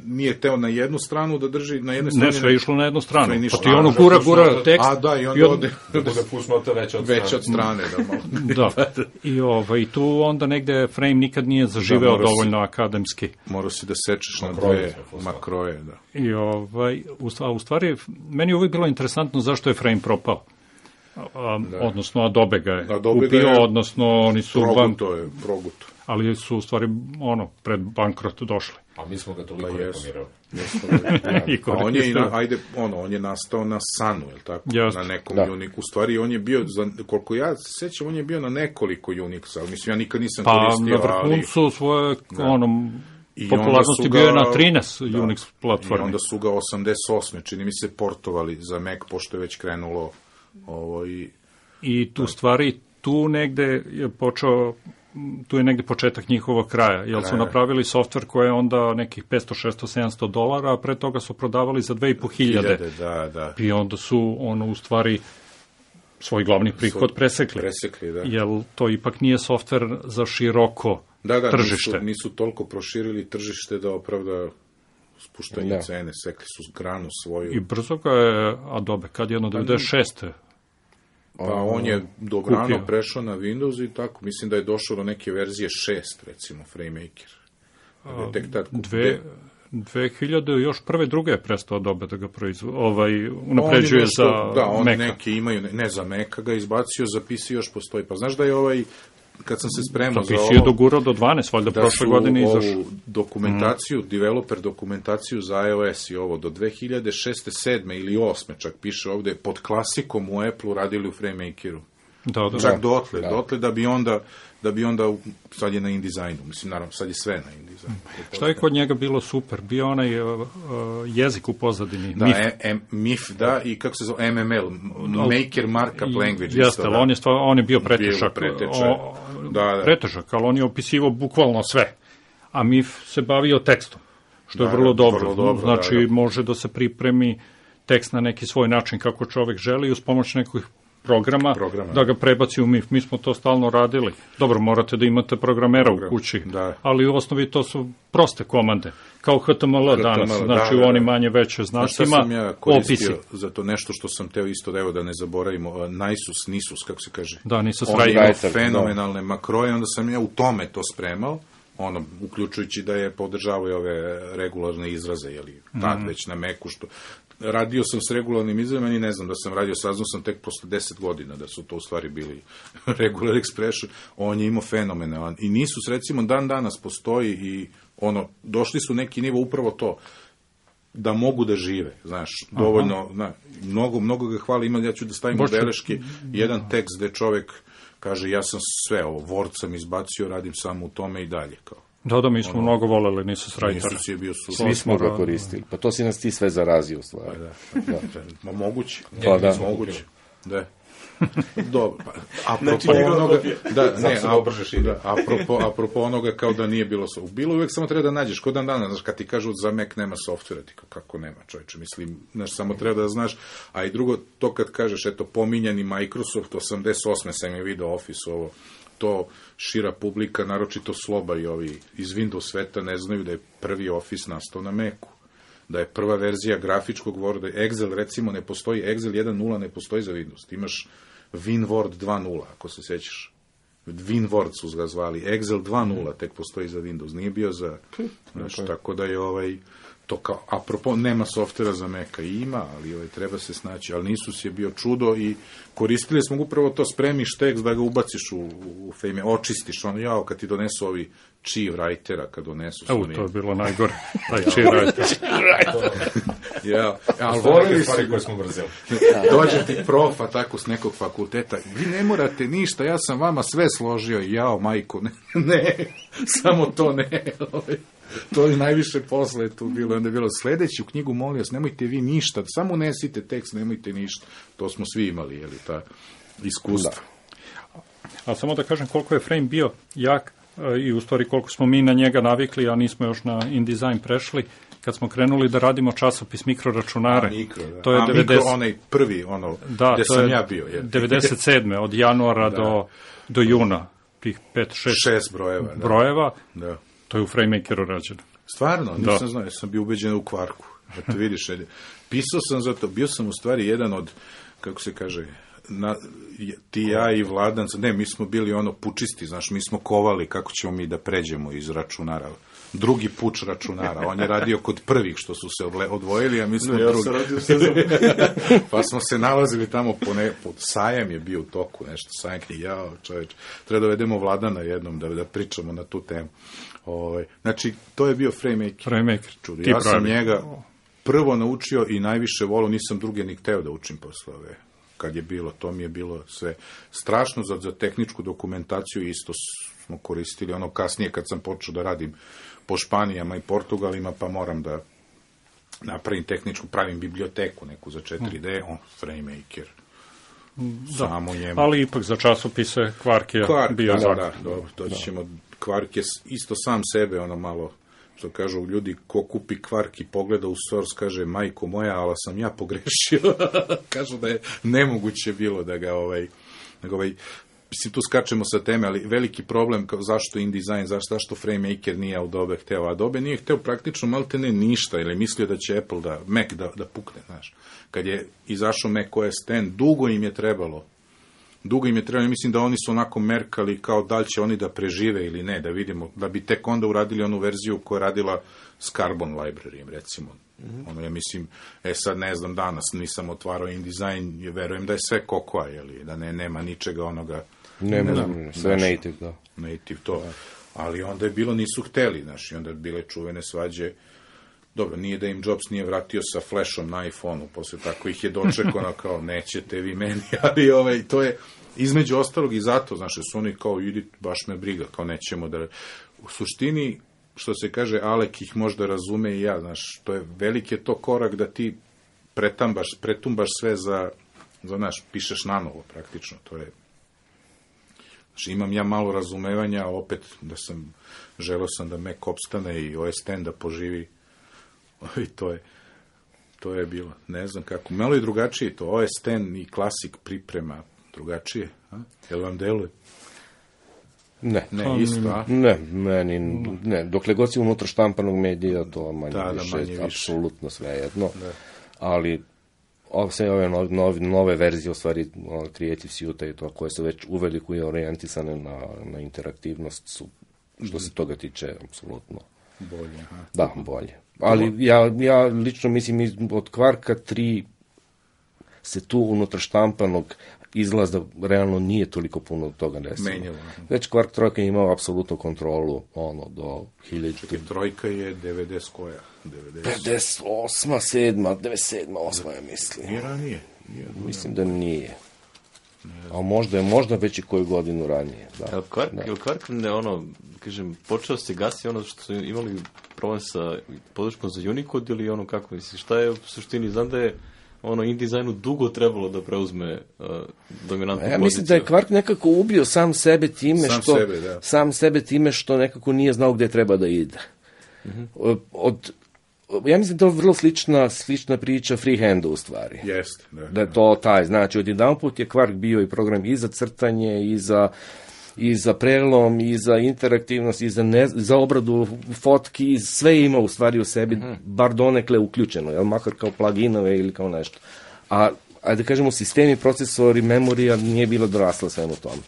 nije teo na jednu stranu da drži, na jednu stranu... Ne, sve je išlo na jednu stranu. Pa ti ono gura tekst... A da, i onda ode... Da bude fusnota veća od strane. Da, i tu onda negde Frame nikad nije zaživeo dovoljno akademski. Morao si da sečeš na dve makroje, da. I u stvari, meni je uvijek bilo interesantno zašto je Frame propao. Odnosno Adobe ga je kupio, odnosno oni su... Proguto. Ali su u stvari pred bankrot došli. A mi smo ga toliko reklamirali. On je nastao na Sunu, je li tako? Na nekom Unixu. U stvari, on je bio, koliko ja sećam, on je bio na nekoliko Unixa, ali mislim, ja nikad nisam koristio, ali... Pa na vrhuncu svoje, popularnosti bio je na 13 Unix platformi. I onda su ga 88. čini mi se portovali za Mac, pošto je već krenulo I tu stvari, tu negde je počeo... Tu je negde početak njihovog kraja, jer su napravili softver koji je onda nekih 500, 600, 700 dolara, a pre toga su prodavali za 2500. Da. I onda su u stvari svoj glavni prihod presekli. Jer to ipak nije softver za široko tržište. Nisu toliko proširili tržište da opravda spuštanje cene, sekli su granu svoju. I brzo ga je Adobe, kad jedno 96. Pa on je dobrano prešao na Windows i tako, mislim da je došao do neke verzije 6, recimo, Framemaker. 2000, još prve, druge je prestao Adobe da ga unapređuje za Maca. Da, oni neki imaju, ne za Maca ga izbacio, za PC još postoji. Pa znaš da je kad sam se spremao za ovo... PC je dogurao do 12, valjda prošle godine izašao. Da su ovu dokumentaciju, developer dokumentaciju za iOS i ovo, do 2006. 7. ili 8. čak piše ovde, pod klasikom u Apple-u radili u Framemakeru. Čak dotle da bi onda, sad je na InDesignu, mislim, naravno, sad je sve na InDesignu. Šta je kod njega bilo super? Bio onaj jezik u pozadini, MIF. MIF, i kako se zove, MML, Maker Markup Language. Jeste, ali on je bio pretežak. Pretežak, ali on je opisivao bukvalno sve. A MIF se bavio tekstom, što je vrlo dobro. Znači, može da se pripremi tekst na neki svoj način kako čovek želi, uz pomoć nekih programa, da ga prebaci u MIF. Mi smo to stalno radili. Dobro, morate da imate programera u kući, ali u osnovi to su proste komande, kao HTML danas, znači u onim manje veće znacima, opisi. Sam ja koristio za to nešto što sam teo isto, evo da ne zaboravimo, Nisus, kako se kaže? Da, Nisus Writer. On ima fenomenalne makroje, onda sam ja u tome to spremao, uključujući da je podržavao ove regularne izraze, jeli, tad već na Macu, što radio sam s regularnim izrazima i ne znam da sam radio, saznao sam tek posle 10 godina da su to u stvari bili regular expression, on je imao fenomenalan. I Nisus, recimo, dan danas postoji i došli su neki nivo upravo to, da mogu da žive, znaš, dovoljno, mnogo ga hvala, ja ću da stavim u beleške jedan tekst gde čovek kaže, ja sam sve ovo, Word sam izbacio, radim samo u tome i dalje, kao. Da, mi smo mnogo voleli Nisus Writer. Nisus je bio super. Svi smo ga koristili. Pa to si nas ti sve zarazio, u stvari. Ma moguće. Pa da. Moguće. Da. Dobro. Apropo onoga kao da nije bilo softvera. Bilo uvek samo treba da nađeš, kod dan dana, znaš, kad ti kažu za Mac nema softvera, ti kako nema, čovječe, mislim, znaš, samo treba da znaš, a i drugo, to kad kažeš, eto, pominjani Microsoft, 88. sam je video Office, ovo, to šira publika, naročito Sloba i ovi iz Windows sveta ne znaju da je prvi Office nastao na Macu, da je prva verzija grafičkog Worda, Excel recimo ne postoji, Excel 1.0 ne postoji za Windows, imaš WinWord 2.0, ako se sećaš, WinWord su ga zvali, Excel 2.0 tek postoji za Windows, nije bio za, znaš, tako da je to kao, apropo, nema softvera za Maca, ima, ali treba se snaći, ali Nisus je bio čudo i koristili smo upravo to, spremiš tekst da ga ubaciš u Fame, očistiš, kad ti donesu ovi Chi Writera, kad donesu... To je bilo najgore, taj Chi Writer. Ali volili su... Dođe ti profa tako s nekog fakulteta, vi ne morate ništa, ja sam vama sve složio, majko, ne, samo to ne, to je najviše posla je tu bilo. Onda je bilo sledeću knjigu, molim vas, nemojte vi ništa, samo unesite tekst, nemojte ništa. To smo svi imali, ta iskustva. A samo da kažem koliko je Frame bio jak i u stvari koliko smo mi na njega navikli, a nismo još na InDesign prešli, kad smo krenuli da radimo časopis mikroračunare. To je onaj prvi, gde sam ja bio. 97. od januara do juna, tih 5-6 brojeva. Da. To je u FrameMakeru rađeno. Stvarno? Nisam znao, ja sam bio ubeđen u kvarku. Eto vidiš, pisao sam za to, bio sam u stvari jedan od, kako se kaže, ti ja i Vladan, mi smo bili pučisti, znaš, mi smo kovali kako ćemo mi da pređemo iz računara. Drugi puč računara, on je radio kod prvih što su se odvojili, a mi smo drugi. Pa smo se nalazili tamo, sajam je bio u toku, nešto, sajam knjige, čoveč, treba da vedemo Vladana jednom da pričamo na tu temu. Znači, to je bio FrameMaker. Ja sam njega prvo naučio i najviše volio, nisam druge ni hteo da učim posle kad je bilo, to mi je bilo sve strašno za tehničku dokumentaciju, isto smo koristili, kasnije kad sam počeo da radim po Španijama i Portugalima, pa moram da napravim pravim biblioteku neku za 4D, FrameMaker. Samo njemu. Ali ipak za časopise Quark je bio zakon. Doći ćemo, Quark je isto sam sebe, malo, što kažu ljudi, ko kupi Quark i pogleda u source, kaže, majko moja, ali sam ja pogrešio. Kažu da je nemoguće bilo da ga mislim, tu skačemo sa teme, ali veliki problem zašto InDesign, zašto FrameMaker nije Adobe hteo. Adobe nije hteo praktično maltene ništa, jer je mislio da će Apple Mac da pukne, znaš. Kad je izašao Mac OS X, dugo im je trebalo, mislim da oni su onako merkali kao da li će oni da prežive ili ne, da vidimo, da bi tek onda uradili onu verziju koja je radila s Carbon Library, recimo. Ja mislim, sad ne znam, danas nisam otvarao InDesign, verujem da je sve kokoa, da nema ničega onoga. Nema, sve native, da. Native, to. Ali onda je bilo, nisu hteli, znaš, i onda je bile čuvene svađe. Dobro, nije da im Jobs nije vratio sa flashom na iPhone-u, posle tako ih je dočekano kao, nećete vi meni, ali to je između ostalog i zato, znaš, su oni kao, idi, baš me briga, kao nećemo da... U suštini, što se kaže, Alek ih možda razume i ja, znaš, to je veliki je to korak da ti pretumbaš sve za znaš, pišeš nanovo praktično, to je... Znači, imam ja malo razumevanja, opet želeo sam da Mac opstane i OS X da poživi, i to je bilo, ne znam kako, malo je drugačije to, OS X i Classic priprema, drugačije? Jel vam deluje? Ne. Ne, isto, a? Ne, meni, ne. Dokle god si unutra štampanog medija, to manje više, apsolutno sve jedno. Da. Ali sve ove nove verzije, u stvari Creative Suite i to, koje su već uveliko i orijentisane na interaktivnost, su, što se toga tiče, apsolutno bolje. Da, bolje. Ali ja lično mislim, od Quarka 3 se tu unutar štampanog izlaza realno nije toliko puno toga desilo. Menjalo. Već Quark trojka je imao apsolutnu kontrolu, do 1000. Čekaj, trojka je 90 koja? 98, 7, 97, 8, ja mislim. Nije ranije? Mislim da nije. A možda već i koju godinu ranije. Da. Quark, kažem, počeo se gasi ono što su imali problem sa podrškom za Unicode ili kako, mislim, šta je u suštini, znam da je InDesignu dugo trebalo da preuzme dominantnu poziciju. Ja mislim da je Quark nekako ubio sam sebe time što nekako nije znao gde treba da ide. Ja mislim da je to vrlo slična priča freehandu u stvari. Jeste. Da je to taj, znači odjedanput je Quark bio i program i za crtanje, i za prelom, i za interaktivnost, i za obradu fotki, sve ima u stvari u sebi, bar donekle uključeno, jel, makar kao pluginove ili kao nešto. A da kažemo, sistemi, procesori, memorija nije bilo dorasla svemu tomu.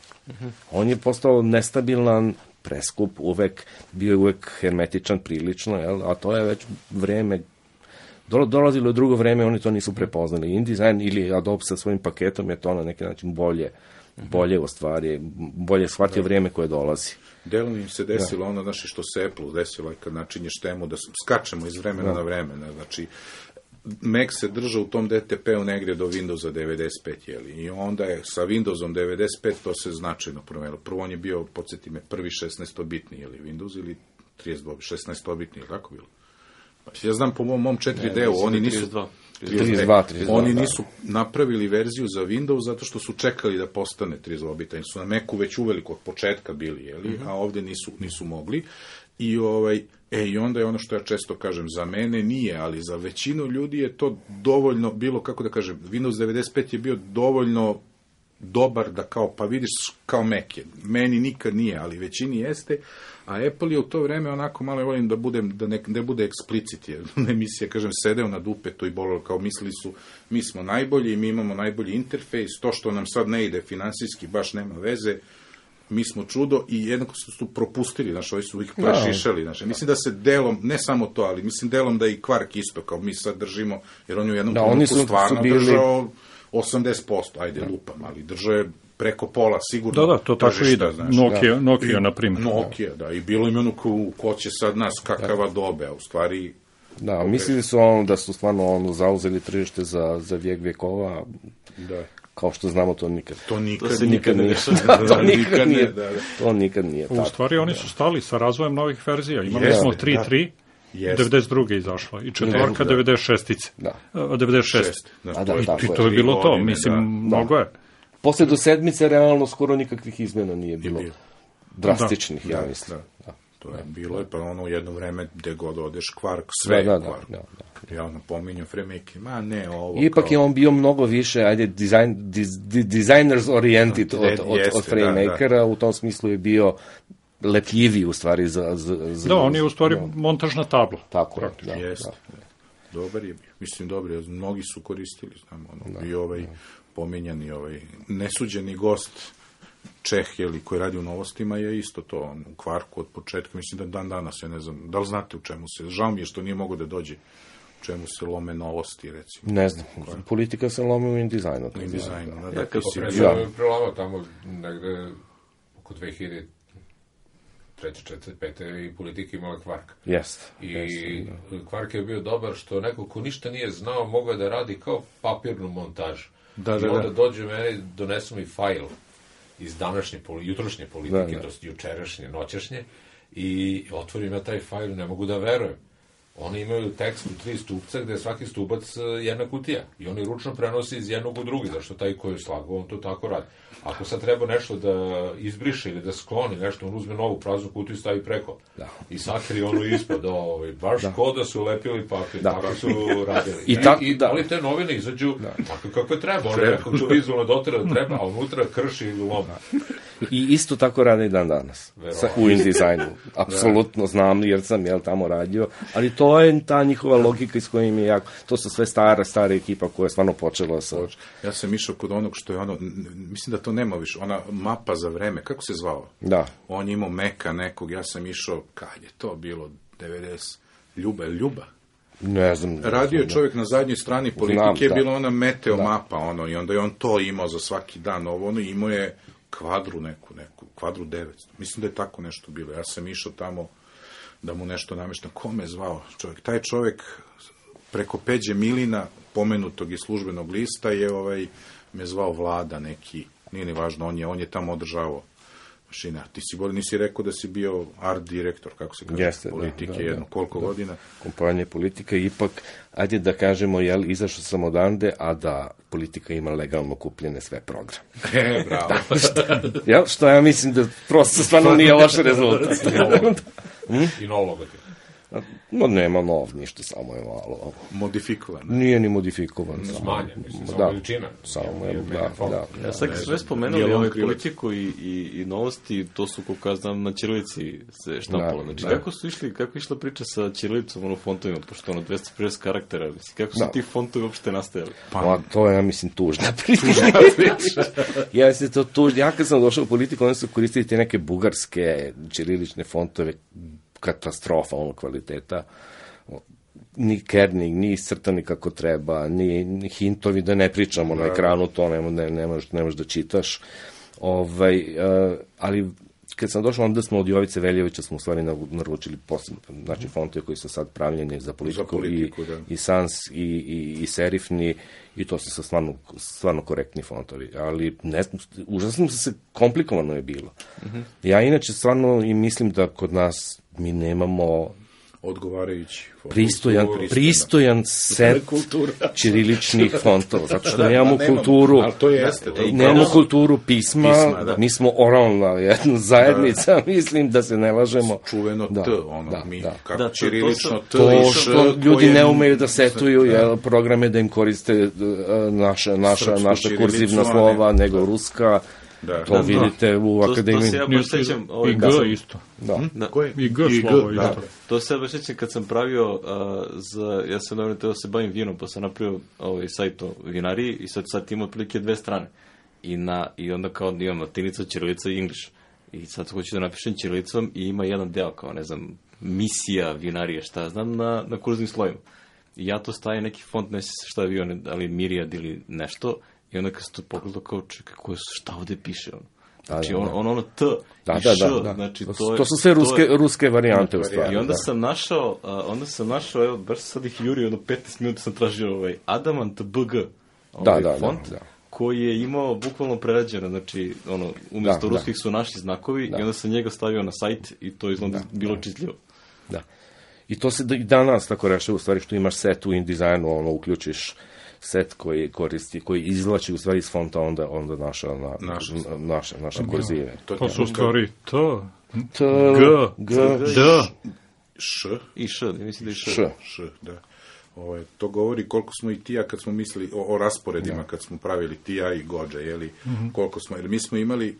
On je postao nestabilan, preskup, bio je uvek hermetičan prilično, jel, a to je već vreme, dolazilo je drugo vreme, oni to nisu prepoznali. InDesign ili Adobe sa svojim paketom je to na neki način bolje u stvari, bolje shvatio vrijeme koje dolazi. Delom im se desilo ono, znači, što se Apple desilo kad načinješ temu da skačemo iz vremena na vremena, znači Mac se držao u tom DTP-u negdje do Windowsa 95, jeli, i onda je sa Windowsom 95 to se značajno promenilo. Prvo on je bio, podsjeti me, prvi 16-bitni, jeli, Windows ili 16-bitni, ili tako bilo? Pa, ja znam po mom 4D-u, oni nisu... 32, oni nisu napravili verziju za Windows zato što su čekali da postane 32-bita. Oni su na Macu već uveliko od početka bili, jeli, a ovdje nisu mogli. I onda je ono što ja često kažem, za mene nije, ali za većinu ljudi je to dovoljno bilo, kako da kažem, Windows 95 je bio dovoljno dobar da kao, pa vidiš, kao Mac je. Meni nikad nije, ali većini jeste. A Apple je u to vreme onako, malo volim da ne bude eksplicit, jer emisija, kažem, sedeo na dupetu i bolilo, kao mislili su, mi smo najbolji, mi imamo najbolji interfejs, to što nam sad ne ide finansijski, baš nema veze, mi smo čudo, i jednako su propustili, znaš, ovi su ih prešišali, znaš. Mislim da se delom, ne samo to, ali mislim delom da i Quark isto, kao mi sad držimo, jer on je u jednom trenutku stvarno držao 80%, ajde lupam, ali držao je preko pola, sigurno. Da, to tako ide. Nokia, na primjer. Nokia, da, i bilo im ono ko će sad nas, kakava dobe, a u stvari... Da, mislili su da su stvarno zauzeli tržište za vijek vjekova, kao što znamo, to nikad. To nikad nije. To nikad nije. U stvari oni su stali sa razvojem novih verzija. Imali smo 3.3, 92. izašla i četvorka 96. 96. I to je bilo to, mislim, mnogo je. Posle do sedmice realno skoro nikakvih izmena nije bilo. Drastičnih, ja mislim. To je bilo, pa ono jedno vreme gde god odeš, Quark, sve je Quark. Ja napominjam Fremake, ovo... Ipak je on bio mnogo više, designers oriented od Framakera, u tom smislu je bio lepljiviji u stvari za... Da, on je u stvari montažna tabla. Tako je, Jeste. Dobar je bio, mislim dobar je, mnogi su koristili, znam, i pominjani nesuđeni gost Čeh, koji radi u novostima, je isto to, u Quarku od početka, mislim da danas, ja ne znam, da li znate u čemu se, žao mi je što nije mogo da dođe, u čemu se lome novosti, recimo. Ne znam, politika se lome u InDesignu. U InDesignu, Prelama tamo negde oko 2003, 4, 5 i politika imala Quark. Jeste. I Quark je bio dobar što neko ko ništa nije znao mogao da radi kao papirnu montažu. I onda dođe meni, donesu mi fajl iz današnje, jutrošnje politike, to jučerašnje, noćašnje, i otvorim ja taj fajl, ne mogu da verujem. Oni imaju tekst u 3 stupca gde je svaki stubac jedna kutija i oni ručno prenose iz jednog u drugi, zašto taj koji je slagao, on to tako radi. Ako sad treba nešto da izbriše ili da skloni nešto, on uzme novu praznu kutiju i stavi preko. Da. I sakri ono ispod, baš ko da su lepili papir, tako su radili. Ali te novine izađu tako kako treba, ono nekako to vizualno dotera da treba, a unutra krši i loma. I isto tako rade i dan danas, u InDesignu. Apsolutno znam, jer sam tamo radio, ali to je ta njihova logika iz kojim je jako, to su sve stara ekipa koja je stvarno počela sa... Ja sam išao kod onog što je ono, mislim da to nema više, ona mapa za vreme, kako se zvao? Da. On je imao Meka nekog, ja sam išao, kad je to bilo, 90, Ljuba? Ne znam. Radio je čovjek na zadnjoj strani Politike, je bila ona meteo mapa, i onda je on to imao za svaki dan, imao je kvadru neku, kvadru 900. Mislim da je tako nešto bilo. Ja sam išao tamo da mu nešto nameštam. Ko me zvao čovjek? Taj čovjek preko Peđe Milina, pomenutog iz službenog lista, je me zvao Vlada neki, nije ni važno, on je tamo održavao mašina. Ti nisi rekao da si bio art direktor, kako se kaže, Politike, koliko godina? Kompanije Politika, ipak, ajde da kažemo, izašao sam odande, a da Politika ima legalno kupljene sve programe. Bravo. Što ja mislim da prosto stvarno nije loš rezultat. I nov logotip. Nema nov, ništa, samo je malo. Modifikovan. Nije ni modifikovan. Smanjen, mislim, samo veličina. Samo je, da. Ja sad sve spomenuli Politiku i novosti, to su, kako ja znam, na ćirilici se štampalo. Znači, kako je išla priča sa ćirilicom, fontovima, pošto 250 karaktera, kako su ti fontovi uopšte nastajali? To je, ja mislim, tužna priča. Ja kad sam došao u Politiku, oni su koristili te neke bugarske ćirilične fontove, katastrofa kvaliteta, ni kerning, ni iscrtani kako treba, ni hintovi, da ne pričamo na ekranu, to ne možeš da čitaš. Ali kad sam došao, onda smo od Jovice Veljevića smo u stvari naručili posebno, znači fontove koji su sad pravljeni za Politiku i Sans i serifni, i to su stvarno korektni fontovi, ali užasno se komplikovano je bilo. Ja inače stvarno i mislim da kod nas mi nemamo odgovarajući pristojan set ćiriličnih fontova, zato što nemamo kulturu, nemamo kulturu pisma, mi smo oralna jedna zajednica, mislim da se ne lažemo. Čuveno T, mi, kako ćirilično T. To što ljudi ne umeju da setuju programe da im koriste naša kurzivna slova, nego ruska. To vidite u akademiji. To se ja baš sećam. I G isto. I G slovo isto. To se ja baš sećam kad sam pravio ja sam dobro teo se bavim vinom, pa sam napravio sajt o vinariji i sad ima otprilike 2 strane. I onda kao imam latinica, ćirilica i English. I sad hoću da napišem ćirilicom i ima jedan deo kao, ne znam, misija vinarije, šta znam, na kurznim slojima. I ja to stavim neki font, ne sjeća se šta je bio, ali Mirijad ili nešto. I onda kad se to pogledao kao, čekaj, šta ovde piše? Znači, ono T i Š, znači to su sve ruske varijante u stvari. I onda sam našao, evo, baš sad ih jurio, 15 minuta sam tražio Adamant BG, font, koji je imao bukvalno prerađeno, znači, umjesto ruskih su naši znakovi, i onda sam njega stavio na sajt i to izgleda bilo čitljivo. Da. I to se i danas tako rešava, u stvari, što imaš set u InDesignu, uključiš set koji izvlači u stvari iz fonta onda naše kurzive. To su u stvari T, G, D, Š. I Š, mislim da je Š, da. To govori koliko smo i Tija kad smo mislili o rasporedima, kad smo pravili Tija i Gođa, koliko smo, jer mi smo imali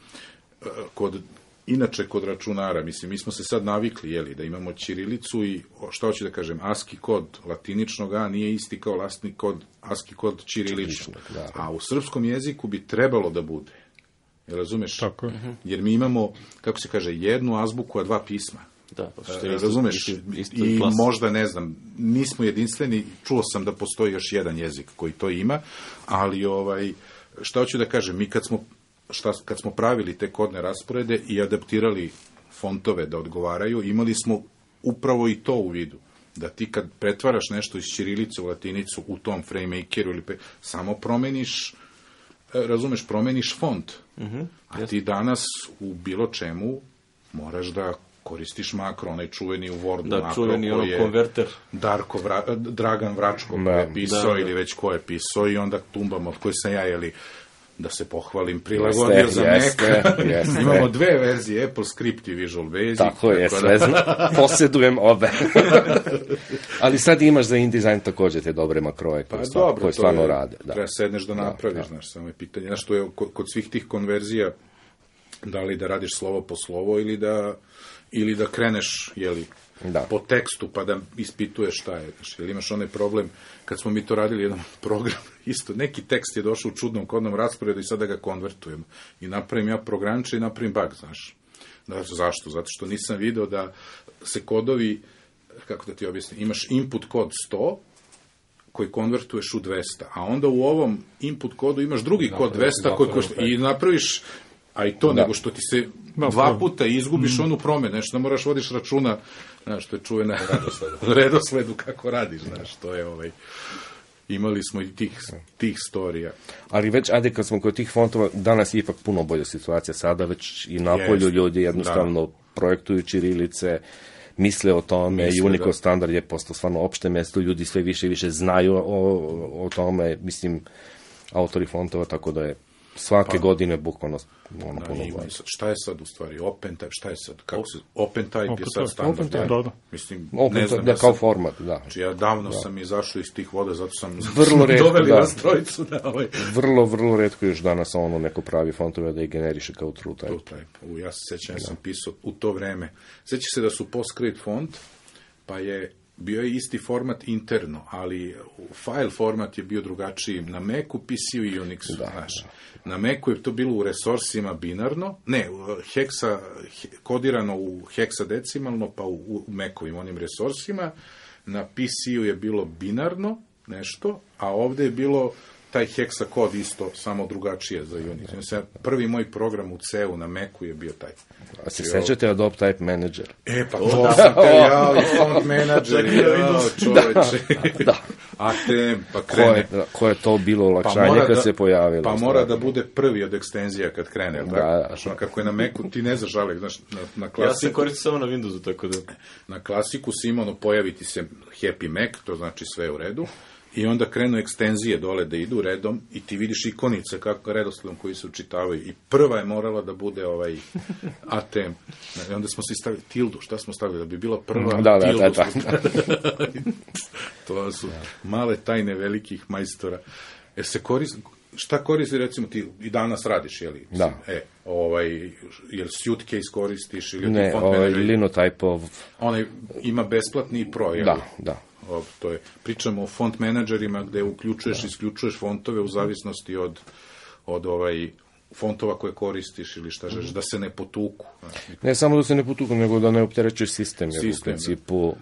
inače kod računara, mi smo se sad navikli, da imamo ćirilicu i, šta hoću da kažem, ASCII kod latiničnog A nije isti kao ASCII kod ćiriličnog. A u srpskom jeziku bi trebalo da bude. Razumeš? Tako je. Jer mi imamo, kako se kaže, jednu azbuku, a 2 pisma. Da, razumeš? I možda, ne znam, nismo jedinstveni, čuo sam da postoji još jedan jezik koji to ima, ali, šta hoću da kažem, mi kad smo pravili te kodne rasporede i adaptirali fontove da odgovaraju, imali smo upravo i to u vidu. Da ti kad pretvaraš nešto iz ćirilice u latinicu u tom FrameMakeru samo promeniš, promeniš font. A ti danas u bilo čemu moraš da koristiš makro, onaj čuveni u Wordu da, makro, čuveni koji je konverter. Dragan Vračko koji je pisao ili već ko je pisao i onda tumbamo, od koje sam ja, da se pohvalim, prilagodio za Mac. Imamo 2 verzije, Apple Script i Visual Basic. Tako je, sve posjedujem obe. Ali sad imaš za InDesign također te dobre makroje koje stvarno rade. Treba sedneš da napraviš, znaš, samo je pitanje. Znaš, to je kod svih tih konverzija, da li da radiš slovo po slovo ili da kreneš, po tekstu, pa da ispituješ šta je. Jer imaš onaj problem, kad smo mi to radili jedan program, isto, neki tekst je došao u čudnom kodnom rasporedu i sada ga konvertujemo. I napravim ja programče i napravim bug, znaš. Zašto? Zato što nisam video da se kodovi, kako da ti objasnim, imaš input kod 100, koji konvertuješ u 200, a onda u ovom input kodu imaš drugi kod 200 koji košta, i napraviš, a i to, nego što ti se 2 puta izgubiš onu promenu, nešto da moraš vodiš računa, znaš, to je čuvena redosledu kako radiš, znaš, to je imali smo i tih storija. Ali već, ajde, kad smo kod tih fontova, danas je ipak puno bolja situacija, sada već i napolju ljudi jednostavno projektuju ćirilice, misle o tome, Unicode standard je postao stvarno opšte mesto, ljudi sve više i više znaju o tome, mislim, autori fontova, tako da je svake godine bukvalno puno bolje. Šta je sad u stvari? OpenType, šta je sad? OpenType je sad standard. Da. Mislim, ne znam. Da, kao format, da. Znači, ja davno sam izašao iz tih voda, zato sam doveli vas trojicu. Vrlo retko još danas neko pravi fontove da ih generiše kao TrueType. Ja se sećam, sam pisao u to vreme. Seća se da su PostScript font, pa je bio je isti format interno, ali file format je bio drugačiji na Macu, PC-u i Unixu. Na Macu je to bilo u resursima binarno, kodirano u heksadecimalno, pa u Macovim onim resursima. Na PC-u je bilo binarno nešto, a ovde je bilo taj heksakod isto, samo drugačije za Unix. Prvi moj program u C-u na Macu je bio taj. A se sećate Adobe Type Manager? Pa to sam te i Font Manager, čoveče. ATM, pa krene. Ko je to bilo olakšanje kad se pojavilo? Pa mora da bude prvi od ekstenzija kad krene. Znaš, kako je na Macu, ti ne znaš žalek. Na klasiku, ja se koristim samo na Windowsu, tako da... Na klasiku si imao, pojaviti se Happy Mac, to znači sve u redu. I onda krenu ekstenzije dole da idu redom i ti vidiš ikonice kako redosledom koji se učitavaju. I prva je morala da bude ATM. I onda smo se stavili tildu. Šta smo stavili? Da bi bila prva tildu. To su male tajne velikih majstora. Šta koristi, recimo, ti i danas radiš, jel? Da. Jel Suitcase koristiš? Ne, Linotype-ov... Onaj ima besplatni pro, jel? Da. Pričamo o font menadžerima gde uključuješ i isključuješ fontove u zavisnosti od fontova koje koristiš ili šta želiš, da se ne potuku. Ne samo da se ne potuku, nego da ne opterećuješ sistem. Jer u principu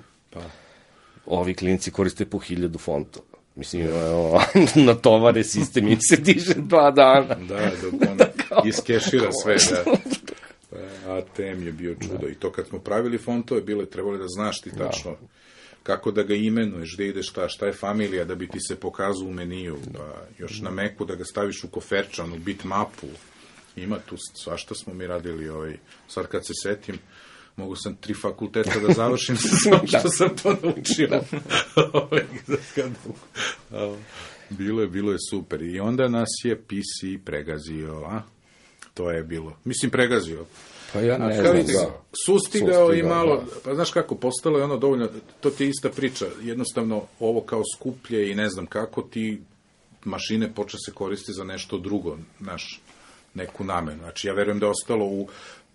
ovi klinci koriste po 1000 fontova. Mislim, natovare sistem im se diže 2 dana. Da, dok on iskešira sve, da. ATM je bio čudo. I to kad smo pravili fontove, trebalo da znaš ti tačno kako da ga imenuješ, gde ideš šta je familija, da bi ti se pokazao u meniju, pa još na Macu da ga staviš u koferčan, u bitmapu. Ima tu svašta smo mi radili. Sad kad se setim, mogu sam 3 fakulteta da završim samo što sam to naučio. Bilo je super. I onda nas je PC pregazio, To je bilo. Mislim, pregazio. Pa ja ne znam, sustigao i malo, pa znaš kako, postalo je ono dovoljno, to ti je ista priča, jednostavno ovo kao skuplje i ne znam kako ti mašine počne se koristiti za nešto drugo, neku namenu. Znači, ja verujem da je ostalo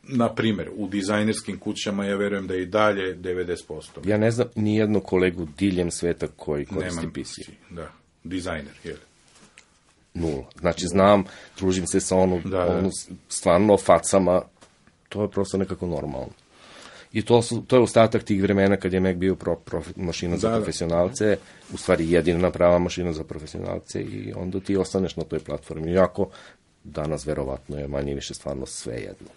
na primjer, u dizajnerskim kućama, ja verujem da je i dalje 90%. Ja ne znam ni jednu kolegu diljem sveta koji koristi PC. Da, dizajner, jel? 0. Znači, znam, družim se sa stvarno facama, to je prosto nekako normalno. I to je ostatak tih vremena kad je Mac bio mašina za profesionalce, u stvari jedina prava mašina za profesionalce i onda ti ostaneš na toj platformi. Iako danas verovatno je manje više stvarno sve jedno.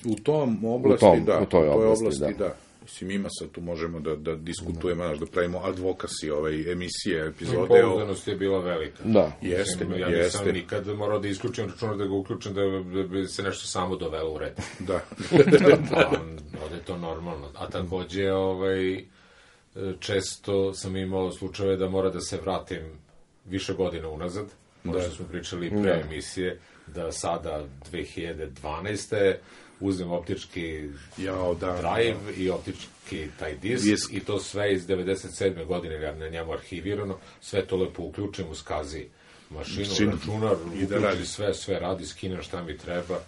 U tom oblasti, u toj oblasti, da. Mislim, ima sad, tu možemo da diskutujemo, da pravimo advokasi emisije, epizode. Pouzdanost je bila velika. Da. Jeste. Ja nisam nikad morao da isključim računar, da ga uključim, da bi se nešto samo dovelo u red. Da. to normalno. A takođe, često sam imao slučajeve da mora da se vratim više godina unazad, možda smo pričali pre emisije, da sada 2012. uzmem optički drive i optički taj disk i to sve iz 97. godine, ja na njemu arhivirano, sve to lepo uključim u SCSI mašinu, računar, uključi sve radi, skinem šta mi treba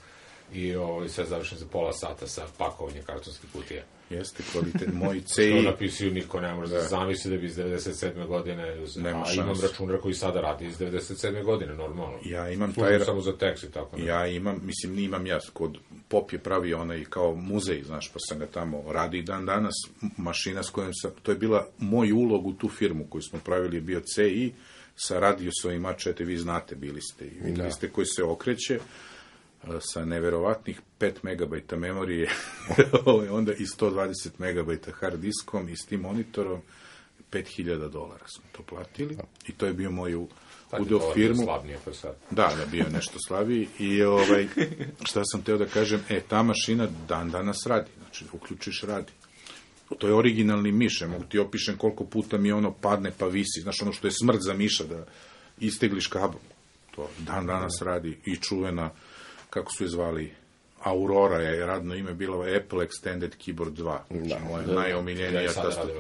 i sve završim za pola sata sa pakovanjem kartonskih kutija. Jeste, kvalitet. Moj CI... Što napisuju, niko ne može da zamisli da bi iz 97. godine, a imam računar koji sada radi iz 97. godine, normalno. Ja imam taj... samo za tekst i tako. Ja imam, imam ja, kod Pop je pravio onaj kao muzej, znaš, pa sam ga tamo radi dan danas, mašina s kojom sam, to je bila moj ulog u tu firmu koju smo pravili, je bio CI, sa radiusovim A4, vi znate, bili ste, i videli ste koji se okreće, sa neverovatnih 5 megabajta memorije, onda i 120 megabajta hard diskom i s tim monitorom, $5.000 smo to platili i to je bio moj udeo firmu. Slabnije pa sad. Da, bio nešto slabiji i šta sam teo da kažem, ta mašina dan danas radi, znači uključiš radi. To je originalni miš, ja mogu ti opišem koliko puta mi ono padne pa visi, znaš ono što je smrt za miša da istegliš kabel. To dan danas radi i čuvena, kako su je zvali, Aurora je radno ime bilo Apple Extended Keyboard 2. Znači, moja najomiljenija... Ja i sada radim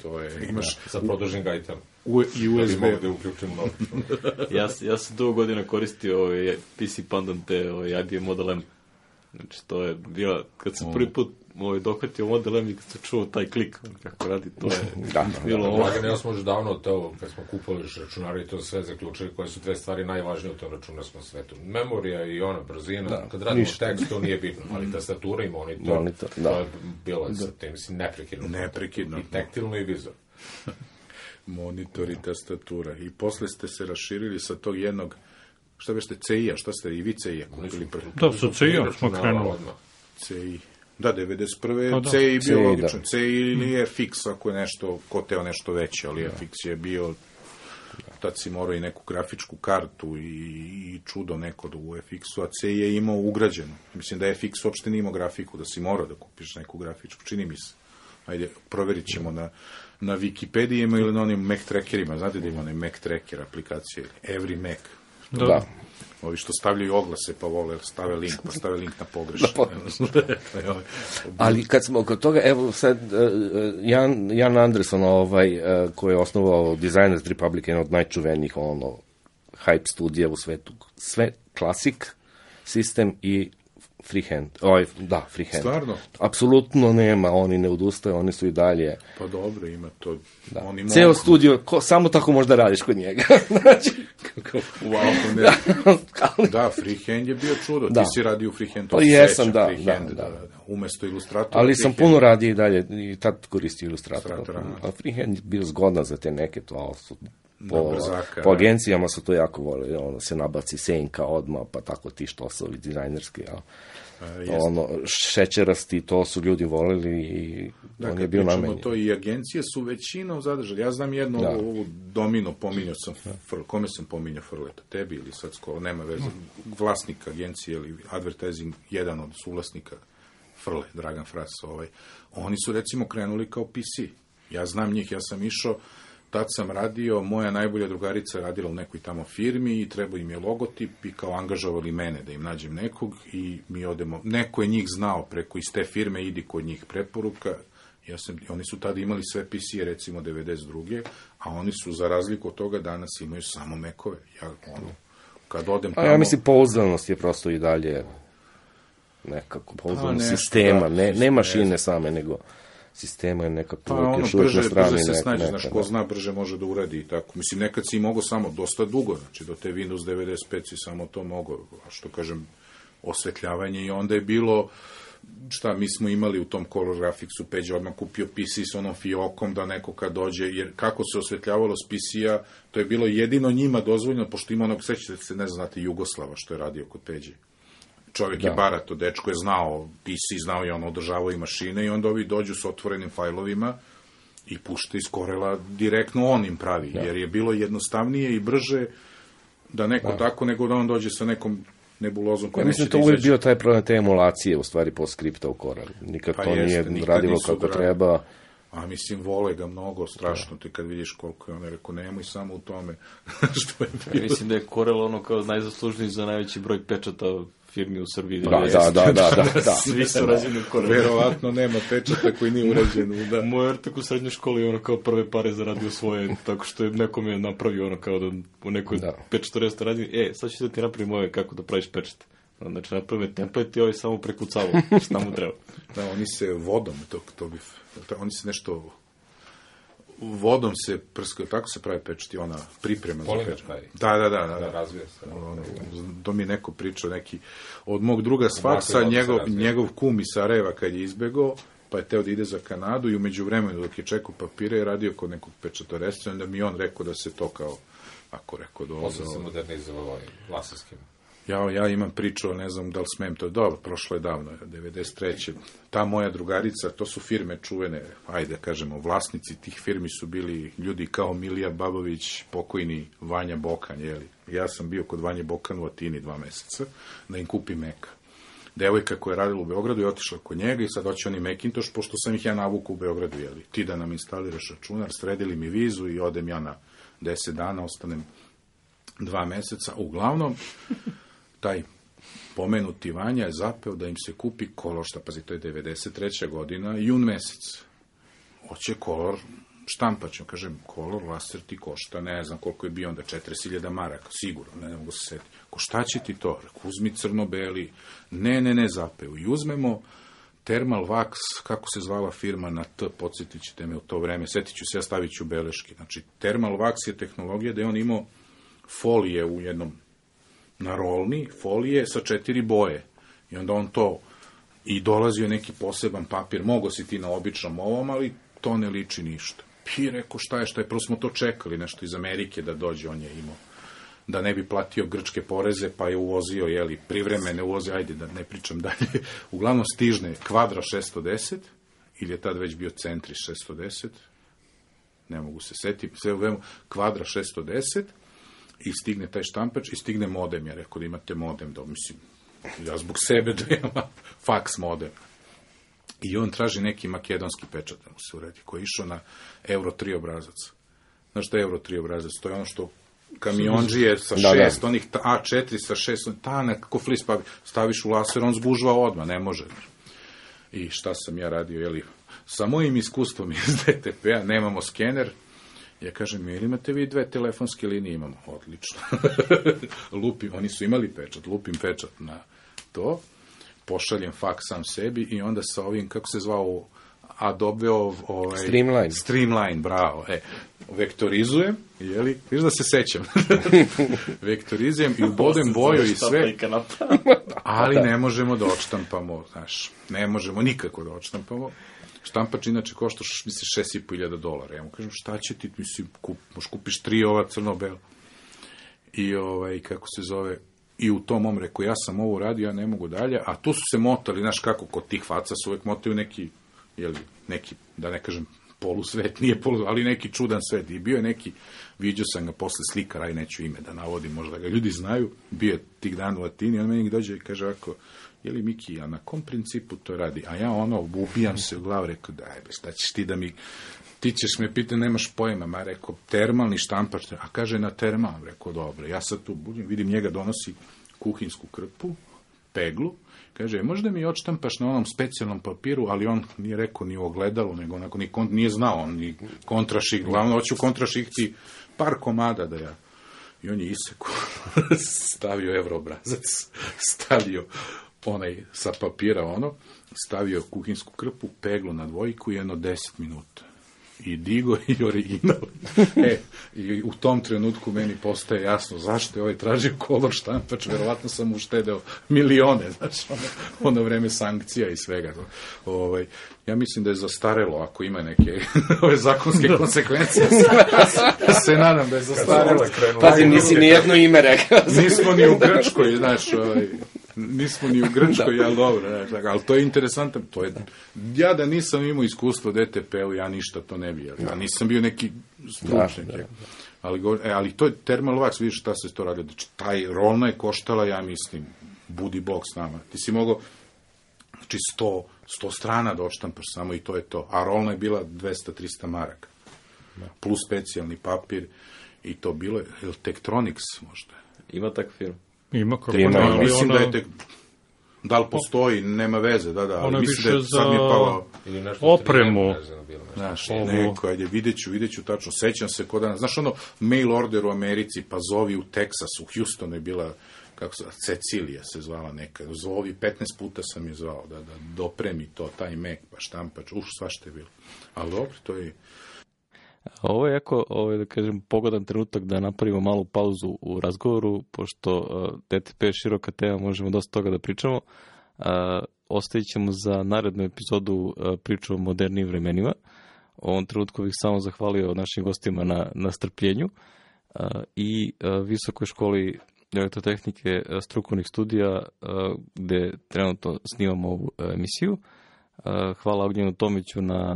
to je. Imaš... Sa produžen gajtom. I USB. Da bi mogu da uključim novu. Ja sam dugo godina koristio PC Pandan te IBM Model M. Znači, to je bila, kad sam prvi put dohvatio Model M i kad sam čuo taj klik, kako radi, to je bilo ovo. Dragan, ja smo još davno to, kad smo kupali računare i to sve zaključili, koje su dve stvari najvažnije u tom računarskom svetu. Memorija i ona brzina, kad radimo tekst, to nije bitno, ali tastatura i monitor, to je bilo sa tim, mislim, neprekidno. I taktilno i vizualno. Monitor i tastatura. I posle ste se raširili sa tog jednog, šta bešte, CI-a, šta ste i vi CI-a kupili prvi? Da, sa CI-om smo krenuli. CI. Da, 91. CI bio logičan. CI ili FX, ako je nešto, ko teo nešto veće, ali FX je bio, tad si morao i neku grafičku kartu i čudo neko u FX-u, a CI je imao ugrađeno. Mislim da FX uopšte nije imao grafiku, da si morao da kupiš neku grafičku, čini mi se. Ajde, proverit ćemo na Wikipedijima ili na onim Mac trackerima. Znate da ima onaj Mac tracker aplikacije? Every Mac. Da. Ovi što stavljaju oglase pa vole, stave link na pogrešno. Ali kad smo kod toga, evo sad, Jan Anderson, koji je osnovao Designers Republic, jedan od najčuvenijih hype studija u svetu, sve klasik, sistem i freehand. Freehand. Stvarno? Apsolutno nema, oni ne odustaju, oni su i dalje. Pa dobro, ima to. Ceo studio, samo tako možda radiš kod njega. Znači... Da, freehand je bio čudo. Ti si radio u freehand. Pa jesam, da. Umesto Illustratora. Ali sam puno radio i dalje, i tad koristio Illustratora. A freehand je bio zgodan za te neke, to su... Po agencijama su to jako vole, se nabaci senka odmah, pa tako ti štosovi dizajnerski, šećerasti, to su ljudi voleli i on je bio namenjen. To i agencije su većinom zadržali. Ja znam jedno, ovu Domino, kome sam pominjao Frleta, tebi ili sad skoro, nema veze, vlasnik agencije ili advertising, jedan od suvlasnika Frle, Dragan Fras, oni su recimo krenuli kao PC. Ja znam njih, ja sam išao, tad sam radio, moja najbolja drugarica radila u nekoj tamo firmi i trebao im je logotip i kao angažovali mene da im nađem nekog i mi odemo, neko je njih znao preko iz te firme, idi kod njih preporuka, oni su tada imali sve PC-e recimo 92. a oni su za razliku od toga danas imaju samo Mac-ove. Kad odem tamo... Ja mislim, pouzdanost je prosto i dalje nekako pouzdanost sistema, ne mašine same, nego... sistema je nekako još uvijek na strani. Brže se snađe, znaš, ko zna brže može da uradi i tako. Mislim, nekad si mogao samo dosta dugo, znači do te Windows 95 si samo to mogao, što kažem, osvetljavanje i onda je bilo, mi smo imali u tom Color Graphicsu, Peđa odmah kupio PC s onom fiokom da neko kad dođe, jer kako se osvetljavalo s PC-a, to je bilo jedino njima dozvoljeno, pošto ima onog, sećate se, ne znate, Jugoslava što je radio kod Peđe. Čovjek je barato, dečko je znao PC, znao je održavao i mašine i onda ovi dođu s otvorenim fajlovima i pušta iz Corela direktno on im pravi, jer je bilo jednostavnije i brže da neko tako nego da on dođe sa nekom nebulozom koja mislim, to uvijek bio taj problem te emulacije, u stvari, po skripta u Corel. Nikad to nije radilo kako treba. A mislim, vole ga mnogo, strašno ti kad vidiš koliko je on rekao, nemoj samo u tome što je bilo. Mislim da je Corel ono kao najzaslužniji za najveći broj pečata firmi u Srbiji. Da. Svi su rađeni u Corelu. Verovatno nema pečata koji nije urađen. Da. Moj ortak u srednjoj školi je ono kao prve pare zaradio svoje, tako što je nekom je napravio ono kao da u nekoj pečatoresta radi, sad ću da ti napravim ove kako da praviš pečat. Znači, napravim template i ovaj samo prekucavao šta mu treba. Da, oni se vodom, oni se nešto vodom se prskaju, tako se pravi pečati, ona priprema za pečat. Da. Razvija se. To mi je neko pričao, neki od mog druga s faksa, njegov kum iz Sarajeva kad je izbegao, pa je teo da ide za Kanadu i umeđu vremenu dok je čekao papire je radio kod nekog pečatoresta, onda mi on rekao da se to kao, ako rekao da Posle se modernizovao laserskim. Ja imam priču, ne znam da li smem, to je dobro, prošlo je davno, 93. Ta moja drugarica, to su firme čuvene, ajde kažemo, vlasnici tih firmi su bili ljudi kao Milija Babović, pokojni Vanja Bokan, jeli. Ja sam bio kod Vanje Bokan u Atini 2 meseca, da im kupi Meka. Devojka koja je radila u Beogradu je otišla kod njega i sad hoće oni Macintosh, pošto sam ih ja navuku u Beogradu, jeli. Ti da nam instaliraš računar, sredili mi vizu i odem ja na 10 dana, ostanem 2 meseca. Uglavnom, taj pomenuti Vanja je zapeo da im se kupi kolor, šta pazi, to je 93. godina, jun mesec. Hoće kolor štampaću, kažem, kolor laser ti košta, ne znam koliko je bio onda, 40.000 maraka, sigurno, ne mogu se setiti. Ko šta će ti to? Uzmi crno-beli. Ne, zapeo. I uzmemo Thermal Wax, kako se zvala firma na T, podsjetit ćete me u to vreme, setit ću se, ja stavit ću beleške. Znači, Thermal Wax je tehnologija da je on imao folije u jednom na rolni, folije sa 4 boje. I onda on to, i dolazio neki poseban papir, mogo si ti na običnom ovom, ali to ne liči ništa. I rekao, šta je, prvo smo to čekali, nešto iz Amerike da dođe, on je imao, da ne bi platio grčke poreze, pa je uvozio, privremene uvoze, ajde da ne pričam dalje. Uglavnom stižne Kvadra 610, ili je tad već bio Centri 610, ne mogu se setiti, sve uvemo Kvadra 610, i stigne taj štampač i stigne modem. Ja rekao da imate modem, da mislim, ja zbog sebe da imam faks modem. I on traži neki makedonski pečat da mu se uredi, koji je išao na Euro 3 obrazac. Znaš šta je Euro 3 obrazac? To je ono što kamionđije sa 6, onih A4 sa 6, tanak, kako flis, pa staviš u laser, on zgužva odmah, ne može. I šta sam ja radio, sa mojim iskustvom iz DTP-a, nemamo skener, ja kažem, ili imate vi 2 telefonske linije? Imamo, odlično. Lupim, oni su imali pečat, lupim pečat na to, pošaljem faks sam sebi i onda sa ovim, kako se zvao, Adobe-ov... Streamline, bravo. Vektorizujem, viš da se sećam. Vektorizujem i ubodem boju i sve, ali ne možemo da odštampamo, znaš, ne možemo nikako da odštampamo. Štampač inače košta, mislim, $6.500. Ja mu kažem, šta će ti, mislim, možeš kupiš 3 ova crno-bela. I, kako se zove, i u tom mom reku, ja sam ovo radio, ja ne mogu dalje, a tu su se motali, znaš kako, kod tih faca su uvek motaju neki, neki, da ne kažem, polusvet, nije polusvet, ali neki čudan svet. I bio je neki, vidio sam ga posle slikar, aj neću ime da navodim, možda ga ljudi znaju, bio je tih dana u Atini, on meni dođe i kaže ovako, Miki, a na kom principu to radi? A ja ubijam se u glavu, rekao, daj, šta ćeš ti da mi, ti ćeš me pitati, nemaš pojma, ma rekao, termalni štampač, a kaže na termal, rekao, dobro, ja sad tu budim, vidim njega donosi kuhinsku krpu, peglu, kaže, možda mi odštampaš na onom specijalnom papiru, ali on nije rekao ni u ogledalu, nego onako nije znao, on ni kontraših, glavno, hoću kontrašihti par komada da ja. I on je iseku, stavio evroobrazac, stavio onaj sa papira stavio kuhinsku krpu, peglu na dvojku i 10 minuta. I digo i original. I u tom trenutku meni postaje jasno zašto je ovaj tražio kolor štampač, verovatno sam uštedeo milione, znači ono vreme sankcija i svega. Ja mislim da je zastarelo, ako ima neke ove zakonske konsekvencije. Se nadam da je zastarelo. Pazi, nisi ni jedno ime rekao. Nismo ni u Grčkoj, znaš, nismo ni u Grčkoj, ali dobro, ali to je interesantno. Ja da nisam imao iskustvo DTP-u, ja ništa to ne bi, ja nisam bio neki stručnjak. Ali to je Thermal Wax, vidiš šta se to radi. Taj rolna je koštala, ja mislim, budi Bog s nama. Ti si mogao, znači 100 strana da odštampaš samo i to je to. A rolna je bila 200-300 maraka. Plus specijalni papir i to bilo je, Tektronix možda. Ima tak film? Ima, kako mislim da je da li postoji, nema veze, da, ali mislim da sad mi je palo opremu. Znaš, neko, ajde, vidjet ću tačno, sećam se kod danas, znaš ono, mail order u Americi, pa zovi u Teksasu, u Houstonu je bila, kako se, Cecilija se zvala neka, zovi, 15 puta sam je zvao, da dopremi to, taj Mac, pa štampač, svašta je bilo. Ali dobro, to je... Ovo je jako, da kažem, pogodan trenutak da napravimo malu pauzu u razgovoru, pošto DTP je široka tema, možemo dosta toga da pričamo. Ostavit ćemo za narednu epizodu priču o modernim vremenima. U ovom trenutku bih samo zahvalio našim gostima na strpljenju i Visokoj školi elektrotehnike strukovnih studija gde trenutno snimamo ovu emisiju. Hvala Ognjenu Tomiću na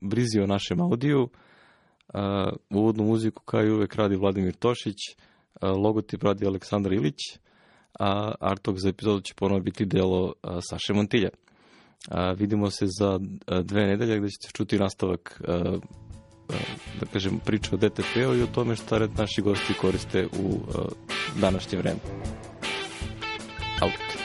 brizi o našem audiju. Uvodnu muziku kao i uvek radi Vladimir Tošić, logotip radi Aleksandar Ilić, a artwork za epizodu će ponovno biti delo Saše Montilja. Vidimo se za 2 nedelje gde ćete čuti nastavak da kažem priče o DTP-u i o tome šta naši gosti koriste u današnje vreme. Out.